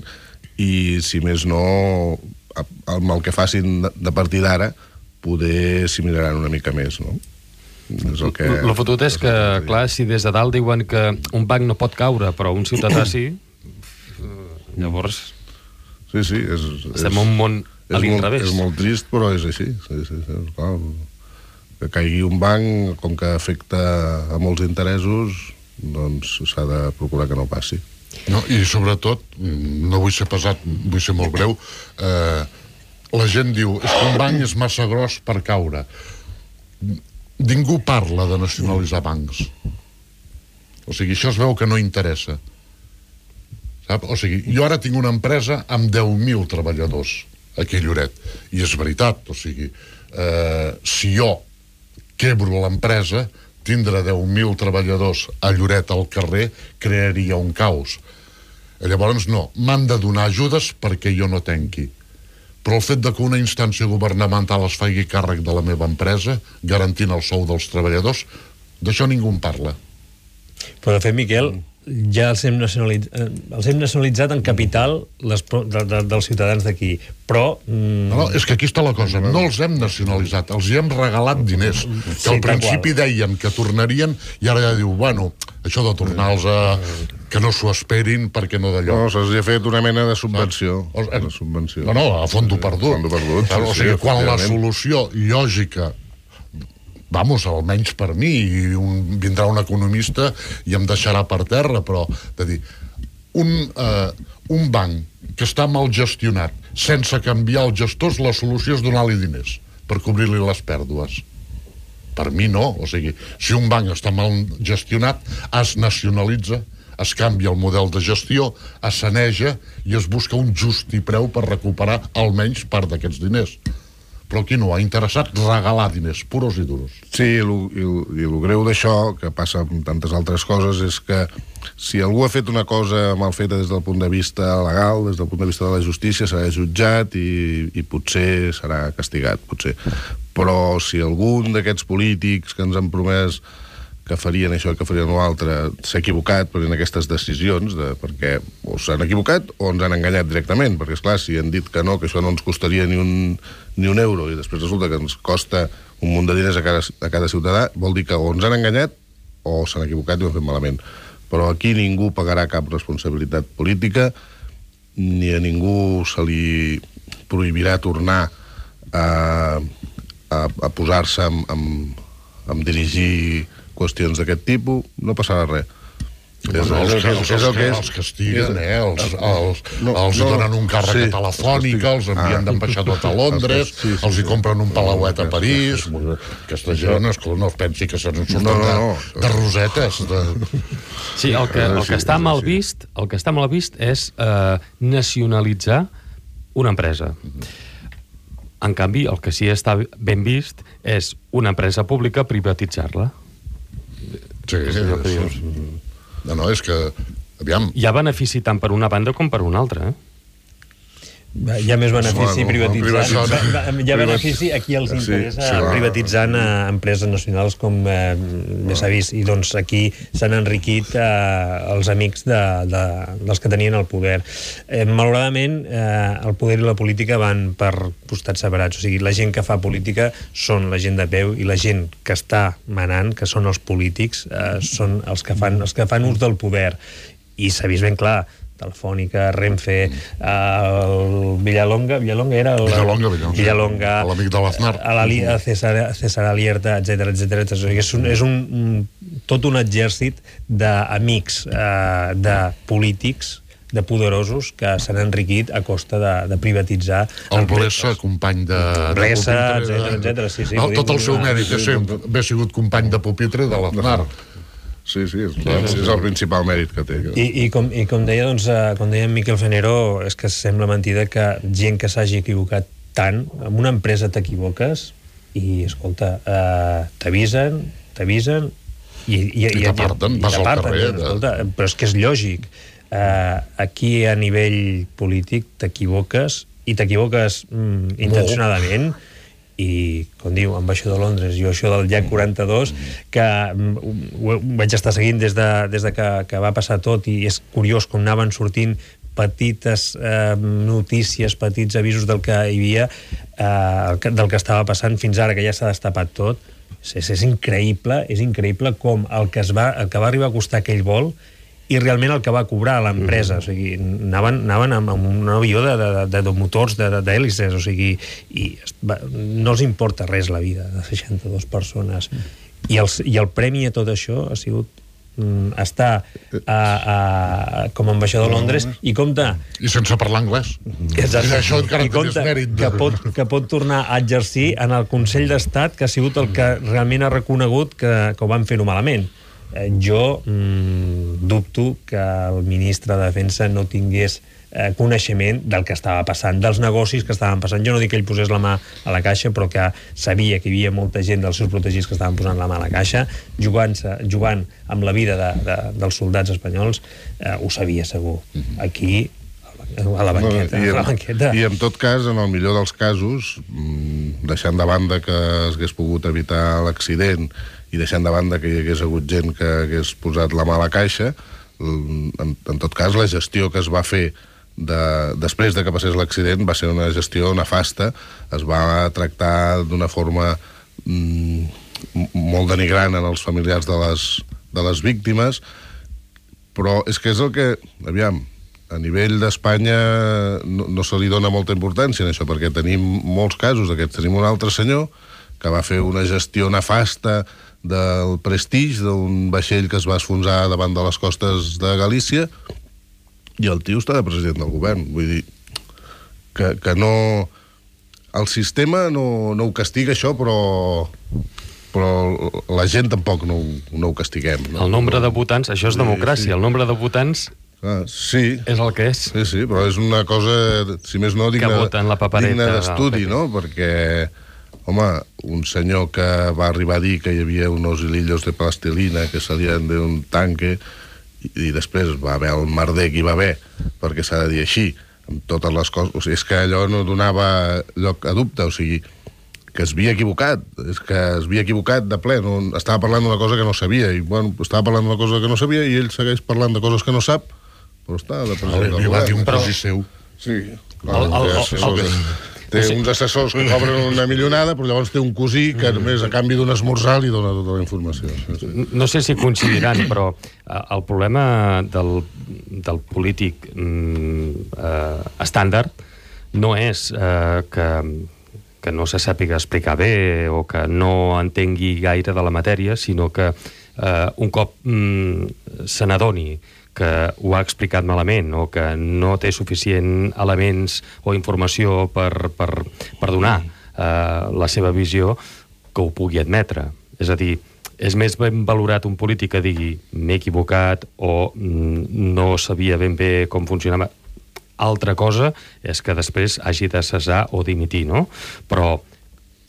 i, si més no, amb el que facin de partir d'ara, poder s'hi miraran una mica més, no? És el que... El fotut és que, clar, si des de dalt diuen que un banc no pot caure, però un ciutadà sí, llavors... Sí, sí, és... Estem en un món a l'inrevés. És molt trist, però és així. Sí, sí, sí, clar. Que caigui un banc, com que afecta a molts interessos, doncs s'ha de procurar que no passi. No, i sobretot, no vull ser pesat, vull ser molt breu, eh, la gent diu, és que un banc és massa gros per caure. Ningú parla de nacionalitzar bancs. O sigui, això es veu que no interessa. Sap? O sigui, jo ara tinc una empresa amb deu mil treballadors aquí a Lloret, i és veritat, o sigui, eh, si jo quebro l'empresa, tindre deu mil treballadors a Lloret al carrer crearia un caos. Llavors, no, m'han de donar ajudes perquè jo no tanqui. Però el fet de que una instància governamental es faci càrrec de la meva empresa, garantint el sou dels treballadors, d'això ningú en parla. Però, de fet, Miquel, ja els hem, nacionalitzat, els hem nacionalitzat en capital les, de, de, dels ciutadans d'aquí, però... Mm... No, no, és que aquí està la cosa, no els hem nacionalitzat, els hi hem regalat diners, que sí, al principi deien que tornarien, i ara ja diu, bueno, això de tornar-los a... que no s'ho esperin perquè no d'allò. No, se'ls ha fet una mena de subvenció. No, una subvenció. no, no a fondo perdut. Fondo perdut, sí, o sigui, sí, quan la efectivament. solució lògica, vamos, almenys per mi, i un, vindrà un economista i em deixarà per terra, però, de dir, un, eh, un banc que està mal gestionat, sense canviar els gestors, la solució és donar-li diners per cobrir-li les pèrdues. Per mi no, o sigui, si un banc està mal gestionat, es nacionalitza, es canvia el model de gestió, es saneja i es busca un justi preu per recuperar almenys part d'aquests diners. Però aquí no ha interessat regalar diners, puros i duros. Sí, i el greu d'això, que passa amb tantes altres coses, és que si algú ha fet una cosa mal feta des del punt de vista legal, des del punt de vista de la justícia, serà jutjat i, i potser serà castigat, potser. Però si algun d'aquests polítics que ens han promès que farien això, que farien l'altre, s'ha equivocat en aquestes decisions, de, perquè o s'han equivocat o ens han enganyat directament, perquè, esclar, si han dit que no, que això no ens costaria ni un, ni un euro, i després resulta que ens costa un munt de diners a cada, a cada ciutadà, vol dir que o ens han enganyat o s'han equivocat i ho han fet malament. Però aquí ningú pagarà cap responsabilitat política, ni a ningú se li prohibirà tornar a, a, a posar-se amb, amb, amb dirigir qüestions d'aquest tipus, no passarà res. Bueno, els, que, els, els, que, els castiguen, eh? Els, els, no, els no, donen un càrrec sí, a Telefònica, els envien ah. d'ambaixador a Londres, sí, sí, els hi compren un palauet a París. Aquesta gent no es, no es pensi que se'n surten no, no, no. De, de rosetes. De... Sí, el que, el que està mal vist, el que està mal vist és eh, nacionalitzar una empresa. En canvi, el que sí està ben vist és una empresa pública privatitzar-la. Sí, sí, és... No, no, és que... Aviam... Hi ha benefici tant per una banda com per una altra, eh? Hi ha més benefici bueno, privatitzant. no, Hi ha benefici a qui els interessa sí, sí, privatitzant a empreses nacionals com eh, més s'ha vist. I doncs aquí s'han enriquit eh, els amics de, de, dels que tenien el poder. Eh, malauradament, eh, el poder i la política van per costats separats. O sigui, la gent que fa política són la gent de peu i la gent que està manant, que són els polítics, eh, són els que fan, els que fan ús del poder. I s'ha vist ben clar, Telefònica, Renfe, el Villalonga, Villalonga era el, Villalonga, Villalonga, Villalonga, l'amic de l'Aznar, a César, César Alierta, etcètera, etcètera. És un, és un, tot un exèrcit d'amics, eh, de polítics, de poderosos que s'han enriquit a costa de, de privatitzar. El Blesa, company de... Blesa, etcètera, etcètera. Sí, sí, no, tot el seu mèrit és haver sigut company de pupitre de l'Aznar. Sí, sí, és, és el principal mèrit que té. I, i, com, i com deia, doncs, uh, com deia Miquel Fenero, és que sembla mentida que gent que s'hagi equivocat tant, en una empresa t'equivoques i, escolta, uh, t'avisen, t'avisen i, i, I t'aparten, vas al carrer. Escolta, però és que és lògic. Uh, aquí, a nivell polític, t'equivoques i t'equivoques mm, intencionadament. No. I, com diu, ambaixador de Londres, jo això del llac quaranta-dos, que ho vaig estar seguint des de, des de que, que va passar tot, i és curiós com anaven sortint petites eh, notícies, petits avisos del que hi havia, eh, del que estava passant fins ara, que ja s'ha destapat tot. És, és increïble, és increïble com el que, es va, el que va arribar a costar aquell vol i realment el que va cobrar l'empresa. O sigui, anaven, anaven amb, amb un avió de, de, de, de motors, d'hèlices, o sigui, i va, no els importa res la vida de seixanta-dues persones. I el, i el premi a tot això ha sigut mm, estar a, a, com a ambaixador de Londres i compta... I sense parlar anglès. Exacte. I això encara I compta mèrit. Que, pot, que pot tornar a exercir en el Consell d'Estat, que ha sigut el que realment ha reconegut que, que ho van fer-ho malament. eh, jo mm, dubto que el ministre de Defensa no tingués eh, coneixement del que estava passant, dels negocis que estaven passant. Jo no dic que ell posés la mà a la caixa, però que sabia que hi havia molta gent dels seus protegits que estaven posant la mà a la caixa, jugant, jugant amb la vida de, de, dels soldats espanyols, eh, ho sabia segur. Aquí, a la banqueta, no, i, a la banqueta. I en tot cas, en el millor dels casos, deixant de banda que es hagués pogut evitar l'accident i deixant de banda que hi hagués hagut gent que hagués posat la mà a la caixa, en, en tot cas la gestió que es va fer de, després de que passés l'accident va ser una gestió nefasta. Es va tractar d'una forma mm, molt denigrant en els familiars de les, de les víctimes, però és que és el que, aviam, a nivell d'Espanya no, no se li dona molta importància en això, perquè tenim molts casos d'aquests. Tenim un altre senyor que va fer una gestió nefasta del Prestige, d'un vaixell que es va esfonsar davant de les costes de Galícia, i el tio està de president del govern. Vull dir que, que no... El sistema no, no ho castiga, això, però... però la gent tampoc no, no ho castiguem. No? El nombre de votants, això és democràcia, sí, sí. El nombre de votants ah, sí. és el que és. Sí, sí, però és una cosa, si més no, digna, digna d'estudi, no? Perquè, home, un senyor que va arribar a dir que hi havia unos hilillos de plastilina que salien d'un tanque i, i després va haver el merder que hi va haver, perquè s'ha de dir així, amb totes les coses. O sigui, és que allò no donava lloc a dubte, o sigui, que es havia equivocat, és que es havia equivocat de ple, no, estava parlant d'una cosa que no sabia, i bueno, estava parlant d'una cosa que no sabia, i ell segueix parlant de coses que no sap, però està de president del govern. Li va dir un cosí seu. Sí, clar, el, el, el, el, té uns assessors que cobren una milionada, però llavors té un cosí que només a canvi d'un esmorzar li dona tota la informació. No sé si coincidiran, però el problema del, del polític eh, estàndard no és eh, que que no se sàpiga explicar bé o que no entengui gaire de la matèria, sinó que eh, un cop mm, se n'adoni que ho ha explicat malament o que no té suficient elements o informació per, per, per donar eh, la seva visió, que ho pugui admetre. És a dir, és més ben valorat un polític que digui m'he equivocat o mm, no sabia ben bé com funcionava. Altra cosa és que després hagi de cessar o dimitir, no? Però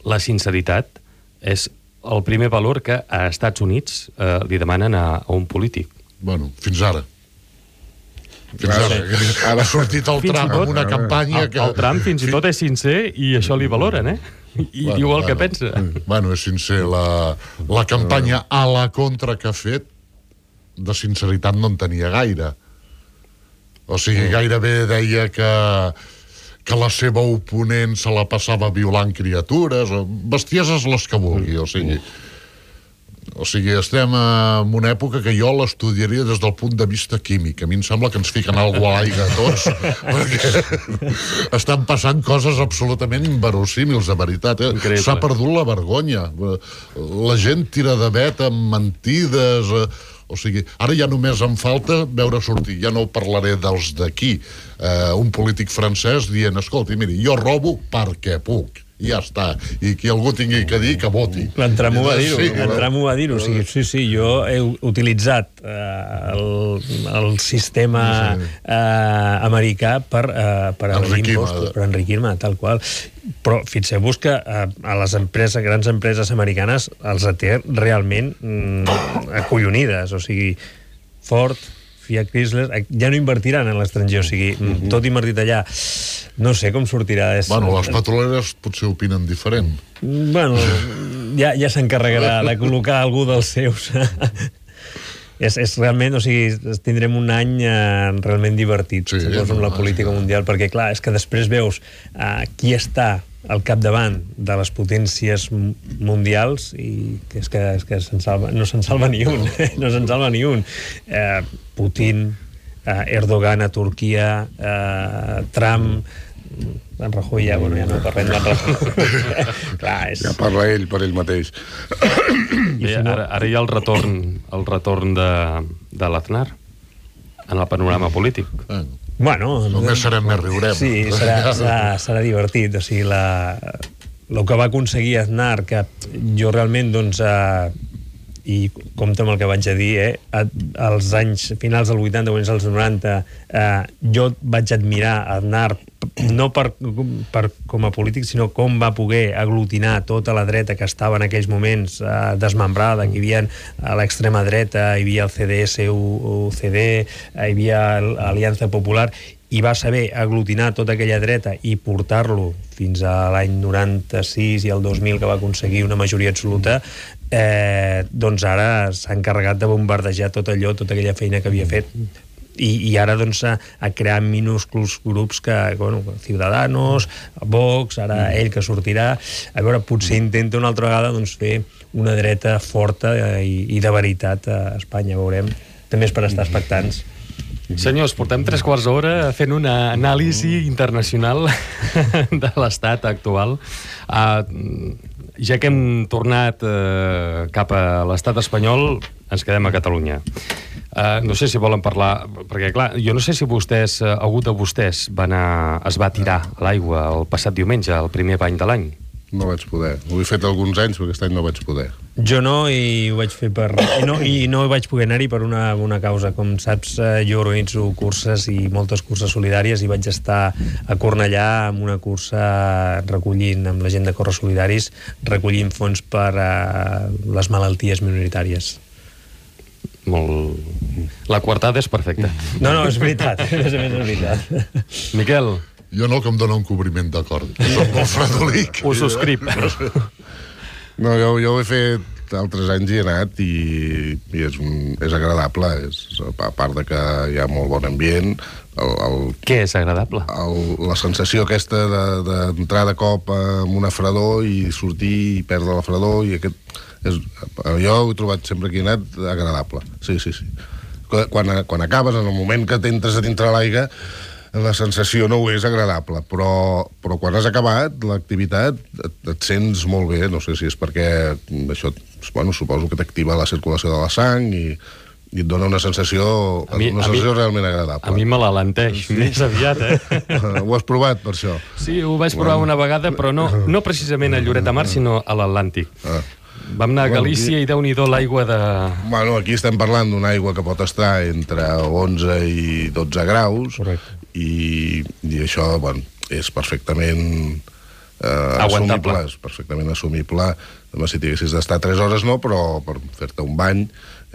la sinceritat és el primer valor que a Estats Units eh, li demanen a, a un polític. Bueno, fins ara. Fins ara. Ara ha sortit el fins Trump amb una campanya el, que... El Trump fins i tot és sincer i això li valoren, eh? I bueno, diu el bueno, que pensa. Bueno, és sincer. La, la campanya a la contra que ha fet, de sinceritat no en tenia gaire. O sigui, gairebé deia que, que la seva oponent se la passava violant criatures, o bestieses les que vulgui, o sigui... O sigui, estem en una època que jo l'estudiaria des del punt de vista químic. A mi em sembla que ens fiquen alguna a l'aigua a tots, perquè estan passant coses absolutament inverosímils, de veritat. Eh? S'ha perdut la vergonya. La gent tira de vet amb mentides... O sigui, ara ja només em falta veure sortir, ja no parlaré dels d'aquí, eh, un polític francès dient, escolti, miri, jo robo perquè puc, i ja està, i qui algú tingui que dir, que voti. L'entramo va dir-ho, sí, l'entramo va dir-ho, o sigui, sí, sí, jo he utilitzat eh, el, el sistema eh, americà per, eh, per enriquir-me, per enriquir-me, tal qual. Però fixeu-vos que eh, a les empreses, grans empreses americanes els té realment mm, acollonides, o sigui, Ford, Fiat, Chrysler, ja no invertiran en l'estranger, o sigui, mm-hmm. tot invertit allà, no sé com sortirà. És... Bueno, les petroleres potser opinen diferent. Bueno, ja, ja s'encarregarà de col·locar algú dels seus. És, és realment, o sigui, tindrem un any eh, realment divertit, sí, segons amb la política mundial, perquè, clar, és que després veus eh, qui està al capdavant de les potències mundials i que és que, és que se'n salva, no se'n salva ni un, no se'n salva ni un. Eh, Putin, eh, Erdogan a Turquia, eh, Trump... en Rajoy ja, bueno, ja no parlem de Rajoy. Clar, és... Ja parla ell per ell mateix. Bé, ara, ara hi ha el retorn, el retorn de, de l'Aznar en el panorama polític. Bueno, només serem més riurem. Sí, serà, serà, serà divertit. O sigui, la, el que va aconseguir Aznar, que jo realment, doncs, eh, i compte amb el que vaig a dir, eh? als anys finals dels vuitanta, anys als noranta, eh, jo vaig admirar Aznar no per, per com a polític, sinó com va poder aglutinar tota la dreta que estava en aquells moments eh, desmembrada, que hi havia a l'extrema dreta, hi havia el C D S U C D, hi havia l'Aliança Popular, i va saber aglutinar tota aquella dreta i portar-lo fins a l'any noranta-sis i el dos mil, que va aconseguir una majoria absoluta. Eh, doncs ara s'ha encarregat de bombardejar tot allò, tota aquella feina que havia fet, i, i ara doncs a, a crear minúsculs grups que, bueno, Ciudadanos, Vox, ara ell que sortirà, a veure, potser intenta una altra vegada doncs fer una dreta forta i, i de veritat a Espanya, veurem. També és per estar expectants. Senyors, portem tres quarts d'hora fent una anàlisi internacional de l'estat actual. Uh, ja que hem tornat uh, cap a l'estat espanyol, ens quedem a Catalunya. Uh, no sé si volen parlar, perquè clar, jo no sé si vostès, uh, algú de vostès van a, es va tirar a l'aigua el passat diumenge, el primer bany de l'any. No vaig poder. Ho he fet alguns anys, però aquest any no vaig poder. Jo no, i ho vaig fer per... I no, i no vaig poder anar-hi per una, una causa. Com saps, jo organitzo curses i moltes curses solidàries, i vaig estar a Cornellà amb una cursa recollint, amb la gent de Corres Solidaris, recollint fons per a les malalties minoritàries. Molt... La coartada és perfecta. No, no, és veritat. A més a més, és veritat. Miquel? Jo no, que em dona un cobriment d'acord. Soc molt fredolic. Ho subscrip. No, jo, jo ho he fet altres anys i he anat, i, i és, és agradable. És, a part de que hi ha molt bon ambient, el, el, què és agradable? El, la sensació aquesta d'entrar de, de cop amb una fredor i sortir i perdre la fredor, i aquest, és, jo ho he trobat sempre que he anat agradable. Sí, sí, sí. Quan, quan acabes, en el moment que t'entres a dintre l'aigua, la sensació no ho és agradable, però, però quan has acabat l'activitat et, et sents molt bé. No sé si és perquè això, bueno, suposo que t'activa la circulació de la sang i, i et dona una sensació, mi, una sensació mi, realment agradable. A mi me l'alenteix, sí. Més aviat, eh? Ho has provat, per això? Sí, ho vaig provar una vegada, però no, no precisament a Lloret de Mar, sinó a l'Atlàntic. Ah. Vam anar a Galícia, bueno, aquí, i Déu-n'hi-do l'aigua de... Bueno, aquí estem parlant d'una aigua que pot estar entre onze i dotze graus. Correcte. I, i això, bueno, és perfectament eh, assumible, és perfectament assumible. Si tinguessis d'estar tres hores no, però per fer-te un bany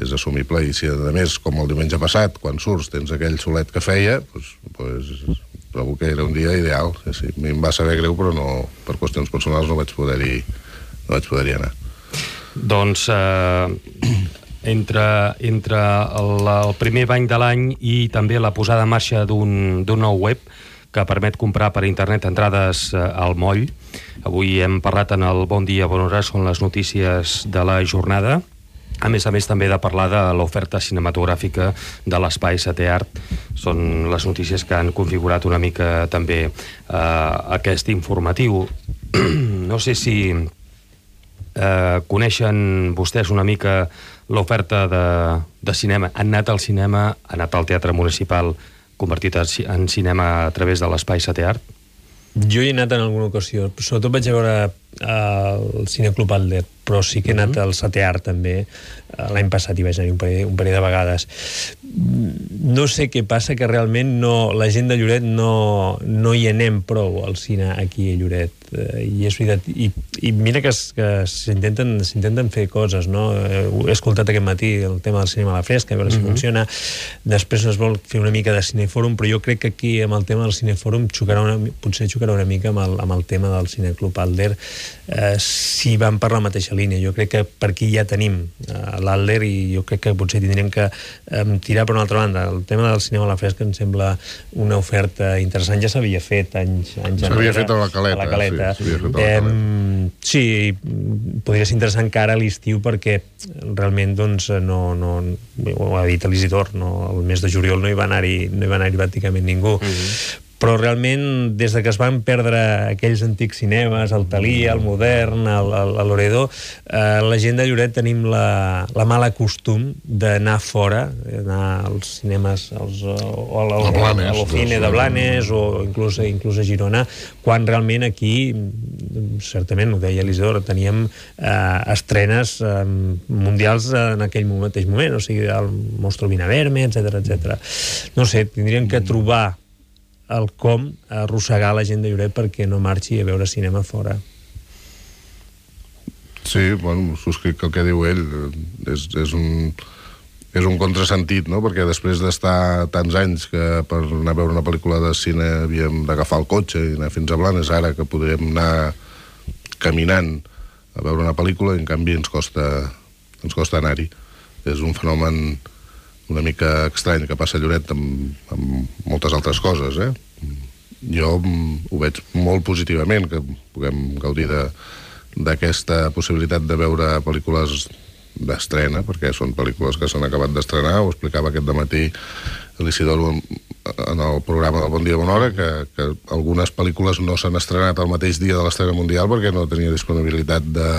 és assumible. I si a més, com el diumenge passat, quan surts tens aquell solet que feia, doncs, doncs trobo que era un dia ideal. Sí, sí. A mi em va saber greu, però no, per qüestions personals no vaig poder-hi no vaig poder-hi anar. Doncs eh, entre, entre el, el primer bany de l'any i també la posada en marxa d'un nou web que permet comprar per internet entrades eh, al moll. Avui hem parlat en el Bon Dia, Bona Hora, són les notícies de la jornada. A més a més, també de parlar de l'oferta cinematogràfica de l'Espai Setè Art. Són les notícies que han configurat una mica també eh, aquest informatiu. No sé si... Eh, coneixen vostès una mica l'oferta de, de cinema. Han anat al cinema, han anat al Teatre Municipal convertit en cinema a través de l'Espai Setè Art? Jo hi he anat en alguna ocasió, sobretot vaig a veure el Cineclub Alder, però sí que he anat al Setè Art també. L'any passat hi vaig anar un parell, un parell de vegades. No sé què passa, que realment no, la gent de Lloret no, no hi anem prou al cine aquí a Lloret. I és veritat, i, i mira que, que s'intenten s'intenten fer coses, no? He escoltat aquest matí el tema del cinema a la fresca, a veure si uh-huh. funciona. Després es vol fer una mica de cinefòrum, però jo crec que aquí amb el tema del cinefòrum xocarà una, potser xocarà una mica amb el, amb el tema del Cineclub Alder, eh, si van per la mateixa línia. Jo crec que per aquí ja tenim eh, l'Alder, i jo crec que potser tindríem que eh, tirar per una altra banda. El tema del cinema a la fresca em sembla una oferta interessant. Ja s'havia fet anys, anys s'havia fet a la Caleta, a la Caleta. Sí, eh, sí, podria ser interessant que ara a l'estiu, perquè realment doncs no, no, ho ha dit l'Isidor, no, el mes de juliol no hi va anar-hi no hi va anar-hi pràcticament ningú. Uh-huh. però realment, des de que es van perdre aquells antics cinemes, el Thalia, el Modern, el, el, el Loredo, eh, la gent de Lloret tenim la, la mala costum d'anar fora, anar als cinemes, als, o al, al, Blanes, a l'Ocine de Blanes, o inclús, inclús a Girona, quan realment aquí, certament, ho deia l'Isidor, teníem eh, estrenes eh, mundials en aquell mateix moment, o sigui, el Monstro Vinaverme, etcètera, etcètera. No sé, tindríem que trobar el com arrossegar la gent de Lloret perquè no marxi a veure cinema fora. Sí, bueno, subscric el que diu ell. És, és un... és un contrasentit, no? Perquè després d'estar tants anys que per anar a veure una pel·lícula de cine havíem d'agafar el cotxe i anar fins a Blanes, ara que podríem anar caminant a veure una pel·lícula i en canvi ens costa, ens costa anar-hi. És un fenomen una mica estrany que passa a Lloret amb, amb moltes altres coses, eh? Jo ho veig molt positivament, que puguem gaudir de, d'aquesta possibilitat de veure pel·lícules d'estrena, perquè són pel·lícules que s'han acabat d'estrenar. Ho explicava aquest dematí l'Isidor en el programa del Bon Dia Bona Hora, que, que algunes pel·lícules no s'han estrenat el mateix dia de l'estrena mundial perquè no tenia disponibilitat de,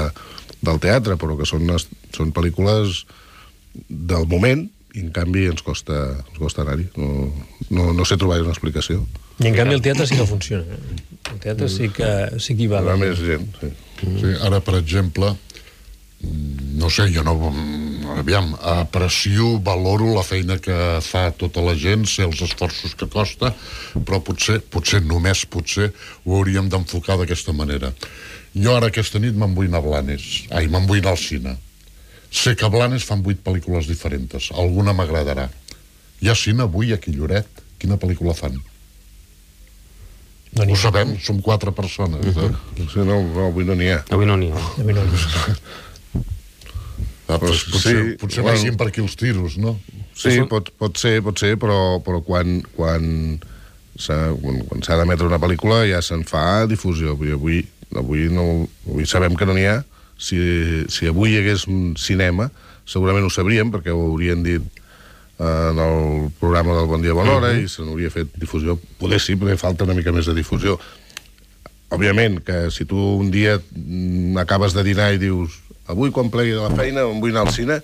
del teatre, però que són, són pel·lícules del moment i en canvi ens costa, ens costa anar-hi. No, no, no sé trobar una explicació. I en canvi el teatre sí que funciona. Eh? El teatre sí que, sí que hi va. Hi va més gent, sí. Sí, ara, per exemple, no sé, jo no... Aviam, aprecio, valoro la feina que fa tota la gent, sé els esforços que costa, però potser, potser només potser, ho hauríem d'enfocar d'aquesta manera. Jo ara aquesta nit me'n vull anar a Blanes. Ai, me'n vull anar al cine. Sé que a Blanes fan vuit pel·lícules diferents. Alguna m'agradarà. Hi ha cine avui aquí a Lloret? Quina pel·lícula fan? No ho sabem, som quatre persones. Uh-huh. eh? Sí, no, no, avui no n'hi ha. Avui no n'hi ha. Avui no n'hi ha. Ah, doncs potser sí, potser bueno, vagin per aquí els tiros, no? Sí, pot, pot ser, pot ser, però, però quan, quan s'ha quan, quan s'ha d'emetre una pel·lícula ja se'n fa difusió. Avui, avui, no, avui sabem que no n'hi ha. Si, si avui hi hagués un cinema, segurament ho sabríem, perquè ho haurien dit en el programa del Bon Dia Bona Hora, uh-huh. i se n'hauria fet difusió. Poder sí, perquè falta una mica més de difusió. Òbviament, que si tu un dia acabes de dinar i dius avui quan plegui de la feina em vull anar al cine,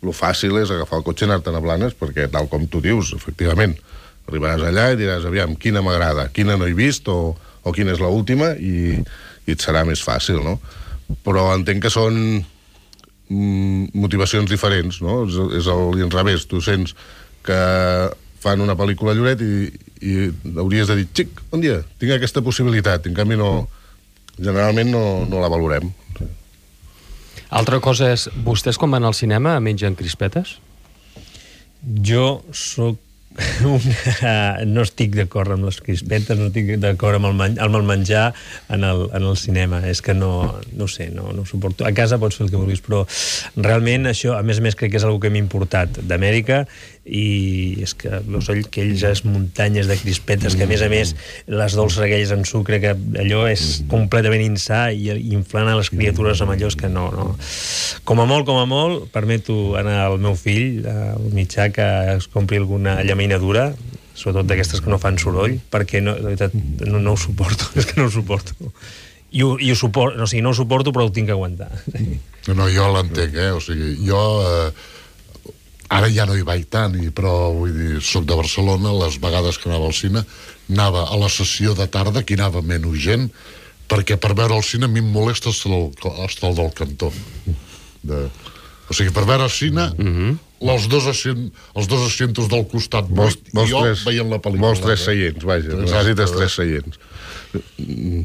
el fàcil és agafar el cotxe i anar-te'n a Blanes, perquè tal com tu dius, efectivament, arribaràs allà i diràs, aviam, quina m'agrada, quina no he vist, o, o quina és l'última, i, i et serà més fàcil, no? Però entenc que són mm, motivacions diferents, no? És, és el revés. Tu sents que fan una pel·lícula a Lloret i, i hauries de dir, xic, bon dia, tinc aquesta possibilitat, en canvi no, generalment no, no la valorem. Altra cosa és, vostès quan van al cinema mengen crispetes? Jo soc una... no estic d'acord amb les crispetes, no estic d'acord amb, el men... amb el menjar en el, en el cinema. És que no, no sé, no, no ho suporto. A casa pots fer el que vulguis, però realment això, a més a més, crec que és una que m'ha importat d'Amèrica, i és que veus aquelles muntanyes de crispetes que a més a més les dolces aquelles en sucre, que allò és completament insà, i inflant a les criatures amb allò, és que no, no. Com a molt, com a molt, permeto anar al meu fill, al mitjà, que es compri alguna llaminadura, sobretot d'aquestes que no fan soroll, perquè no, de veritat, no, no ho suporto, és que no ho suporto. I ho, i ho suporto, no, o sigui, no ho suporto, però ho tinc que aguantar. No, no, jo l'entenc, eh? O sigui, jo... Eh, ara ja no hi vaig tant, i, però vull dir, soc de Barcelona, les vegades que anava al cine, anava a la sessió de tarda, que hi anava menys gent, perquè per veure el cine a mi em molesta estar al del cantó. De... O sigui, per veure el cine, uh-huh. els, dos assient, els dos asientos del costat vols, vols i jo tres, veient la pel·lícula. Vols tres seients, vaja, necessites tres seients.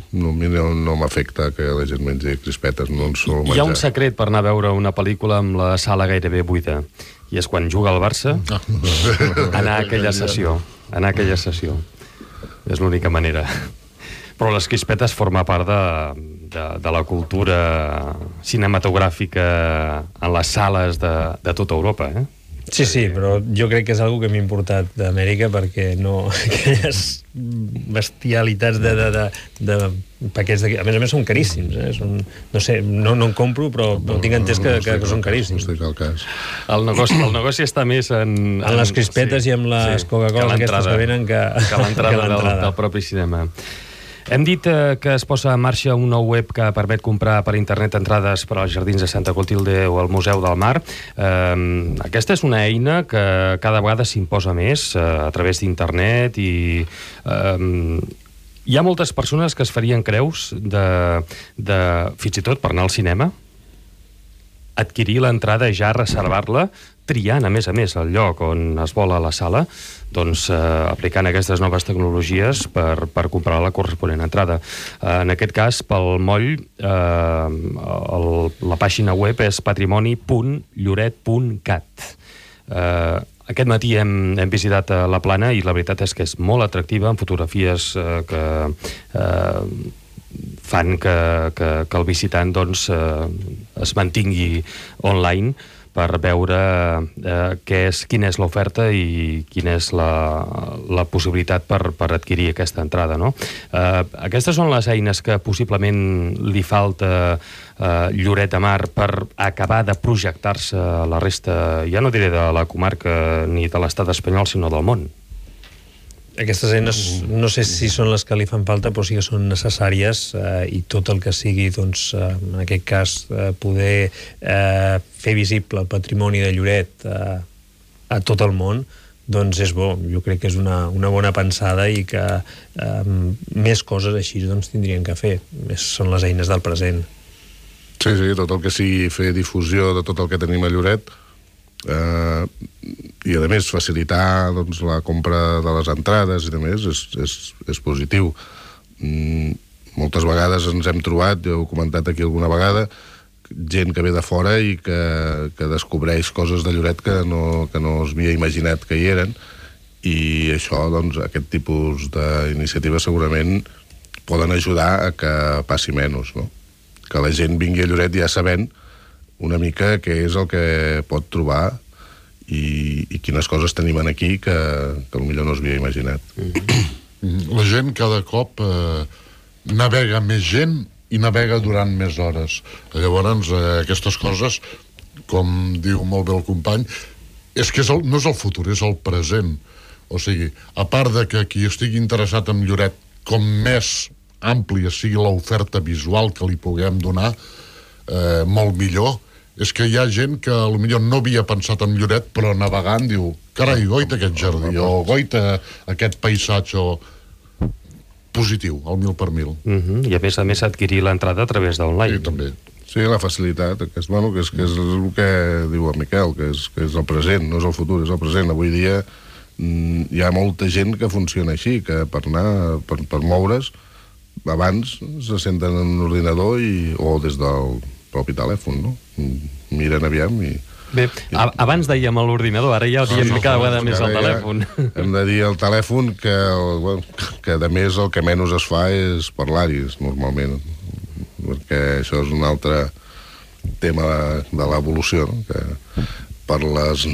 No, no, no m'afecta que la gent mengi crispetes, no en sol menjar. Hi ha un secret per anar a veure una pel·lícula amb la sala gairebé buida, i és quan juga el Barça, anar a aquella sessió. Anar a aquella sessió. És l'única manera. Però les crispetes forma part de, de, de la cultura cinematogràfica en les sales de, de tota Europa, eh? Sí, sí, però jo crec que és algo que m'ha importat d'Amèrica perquè no... aquelles bestialitats de, de, de, de paquets de... A més a més són caríssims, eh? Són, no sé, no, no en compro, però no tinc entès que, que, que són caríssims. No estic al cas. El negoci, el negoci està més en... En les crispetes sí, i amb les sí, Coca-Cola aquestes que venen que, que l'entrada del, del propi cinema. Hem dit eh, que es posa en marxa un nou web que permet comprar per internet entrades per als jardins de Santa Clotilde o al Museu del Mar. Eh, aquesta és una eina que cada vegada s'imposa més eh, a través d'internet i eh, hi ha moltes persones que es farien creus de, de, fins i tot per anar al cinema, adquirir l'entrada, ja reservar-la, triant, a més a més, el lloc on es vol a la sala, doncs eh, aplicant aquestes noves tecnologies per, per comprar la corresponent entrada. Eh, en aquest cas, pel moll, eh, el, la pàgina web és patrimoni punt lloret punt cat. Eh, aquest matí hem, hem visitat la plana i la veritat és que és molt atractiva, amb fotografies eh, que... Eh, fan que, que, que el visitant doncs, eh, es mantingui online per veure eh, què és, quina és l'oferta i quina és la, la possibilitat per, per adquirir aquesta entrada. No? Eh, aquestes són les eines que possiblement li falta eh, Lloret de Mar per acabar de projectar-se a la resta, ja no diré de la comarca ni de l'estat espanyol, sinó del món. Aquestes eines no sé si són les que li fan falta, però sí que són necessàries eh, i tot el que sigui, doncs, eh, en aquest cas, eh, poder eh, fer visible el patrimoni de Lloret eh, a tot el món, doncs és bo. Jo crec que és una, una bona pensada i que eh, més coses així doncs, tindrien que fer. Més són les eines del present. Sí, sí, tot el que sigui fer difusió de tot el que tenim a Lloret, Uh, i a més facilitar doncs, la compra de les entrades i de més és, és, és positiu. Mm, moltes vegades ens hem trobat, jo he comentat aquí alguna vegada, gent que ve de fora i que, que descobreix coses de Lloret que no, que no es havia imaginat que hi eren, i això, doncs, aquest tipus d'iniciatives segurament poden ajudar a que passi menys, no? Que la gent vingui a Lloret ja sabent una mica què és el que pot trobar i, i quines coses tenim aquí que, que potser no s'havia imaginat. Mm-hmm. La gent cada cop eh, navega més gent i navega durant més hores. Llavors, eh, aquestes coses, com diu molt bé el company, és que és el, no és el futur, és el present. O sigui, a part de que qui estigui interessat en Lloret, com més àmplia sigui l'oferta visual que li puguem donar, eh, molt millor. És que hi ha gent que potser no havia pensat en Lloret, però navegant diu, carai, goita aquest jardí, o goita aquest paisatge, o positiu, al mil per mil. Uh-huh. I a més a més adquirir l'entrada a través d'online. Sí, també. Sí, la facilitat, que és, bueno, que és, que és el que diu el Miquel, que és, que és el present, no és el futur, és el present. Avui dia mm, hi ha molta gent que funciona així, que per anar, per, per moure's, abans se senten en un ordinador i, o des del propi telèfon, no? Miren aviam i... Bé, a, abans dèiem a l'ordinador, ara ja ho diem no, no, cada vegada més al telèfon. Ja hem de dir al telèfon que, bueno, que a més el que menys es fa és parlar-hi, normalment, perquè això és un altre tema de, de l'evolució, no? Que per les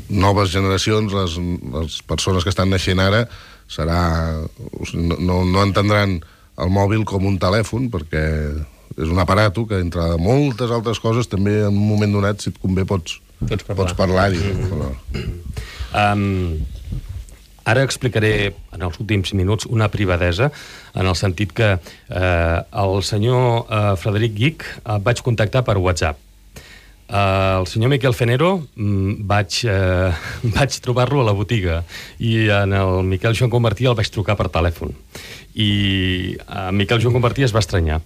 noves generacions, les, les persones que estan naixent ara, serà, no, no, no entendran el mòbil com un telèfon, perquè és un aparato que, entre moltes altres coses, també en un moment donat, si et convé, pots, pots parlar. Pots parlar-hi. Però... Um, ara explicaré, en els últims minuts, una privadesa, en el sentit que eh, el senyor eh, Frederic Guich eh, vaig contactar per WhatsApp. Uh, el senyor Miquel Fenero mm, vaig, uh, vaig trobar-lo a la botiga i en el Miquel Joan Convertí el vaig trucar per telèfon i uh, Miquel Joan Convertí es va estranyar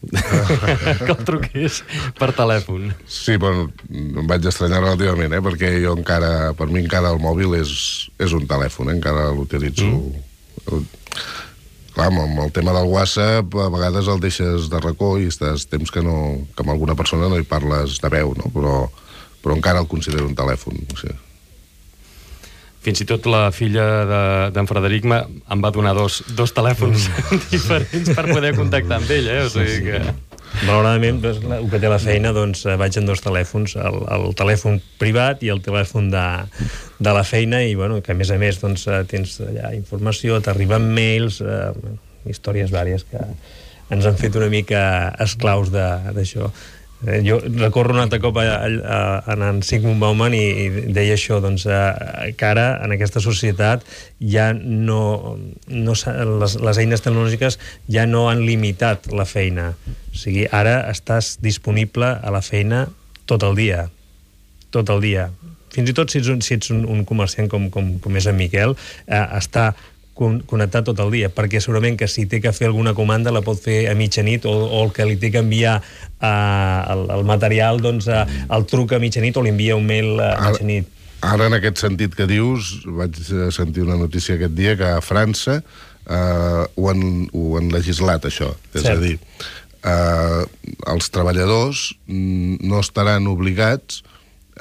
que el truqués per telèfon. Sí, bueno, em vaig estranyar relativament, eh? Perquè jo encara, per mi encara el mòbil és, és un telèfon, eh? Encara l'utilitzo. Mm. Clar, amb el tema del WhatsApp, a vegades el deixes de racó i estàs temps que, no, que amb alguna persona no hi parles de veu, no? Però, però encara el considero un telèfon, o sigui. Fins i tot la filla d'en de, Frederic em va donar dos, dos telèfons diferents per poder contactar amb ell, eh? O sigui que... Malauradament, el que té la feina, doncs vaig amb dos telèfons, el, el telèfon privat i el telèfon de, de la feina, i bueno, que a més a més doncs, tens allà informació, t'arriben mails, eh, històries vàries que ens han fet una mica esclaus d'això. Eh, jo recorro un altre cop a, a, a, a en Sigmund Bauman i, i deia això, doncs, eh, que ara en aquesta societat ja no, no les, les eines tecnològiques ja no han limitat la feina. O sigui, ara estàs disponible a la feina tot el dia. Tot el dia. Fins i tot si ets un, si ets un, un comerciant com, com, com és en Miquel, eh, està connectat tot el dia, perquè segurament que si té que fer alguna comanda la pot fer a mitjanit, o, o el que li té que enviar uh, el, el material, doncs uh, el truca a mitjanit o li envia un mail a mitjanit. Ara, ara en aquest sentit que dius, vaig sentir una notícia aquest dia que a França uh, ho, han, ho han legislat, això. És Cert. a dir, uh, els treballadors no estaran obligats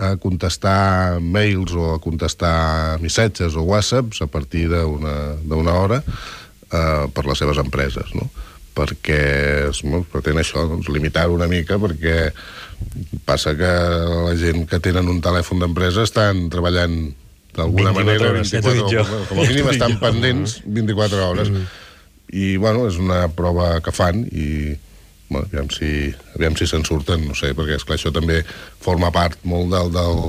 a contestar mails o a contestar missatges o whatsapps a partir d'una hora eh, per les seves empreses, no? Perquè es no, pretén això, doncs, limitar-ho una mica, perquè passa que la gent que tenen un telèfon d'empresa estan treballant d'alguna manera vint-i-quatre hores, com a mínim estan pendents vint-i-quatre hores, mm. i bueno, és una prova que fan, i bueno, aviam si, aviam si se'n surten, no sé, perquè esclar, això també forma part molt del, del,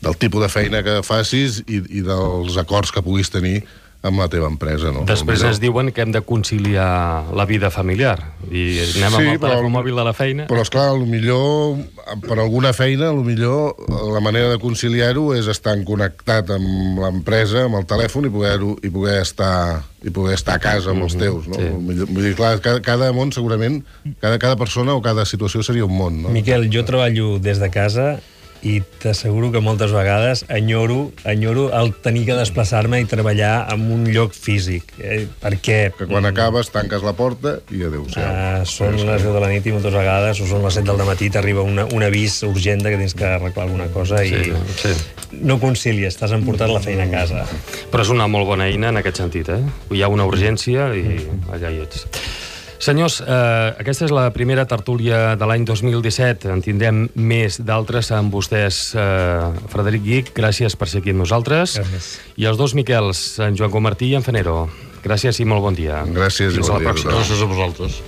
del tipus de feina que facis i, i dels acords que puguis tenir amb la teva empresa, no? Després ens diuen que hem de conciliar la vida familiar i anem amb sí, el telèfon mòbil de la feina. Però esclar, millor per alguna feina, millor la manera de conciliar-ho és estar connectat amb l'empresa, amb el telèfon, i poder, i poder estar i poder estar a casa amb els teus, no? Sí. Vull dir, clar, cada, cada món segurament, cada, cada persona o cada situació seria un món, no? Miquel, jo treballo des de casa i t'asseguro que moltes vegades enyoro, enyoro el tenir que desplaçar-me i treballar en un lloc físic, eh, perquè... Que quan acabes tanques la porta i adéu-siau. Uh, són les deu de la nit i moltes vegades, o són les set del matí, t'arriba una, un avís urgent que tens que arreglar alguna cosa i sí, sí. no concilies, t'has emportat la feina a casa. Però és una molt bona eina en aquest sentit, eh? Hi ha una urgència i allà hi ets. Senyors, eh, aquesta és la primera tertúlia de l'any dos mil disset. En tindrem més d'altres amb vostès. Eh, Frederic Guich, gràcies per ser aquí amb nosaltres. Gràcies. I els dos Miquels, en Joan Comartí i en Fanero. Gràcies i molt bon dia. Gràcies i bon dia. Gràcies a vosaltres.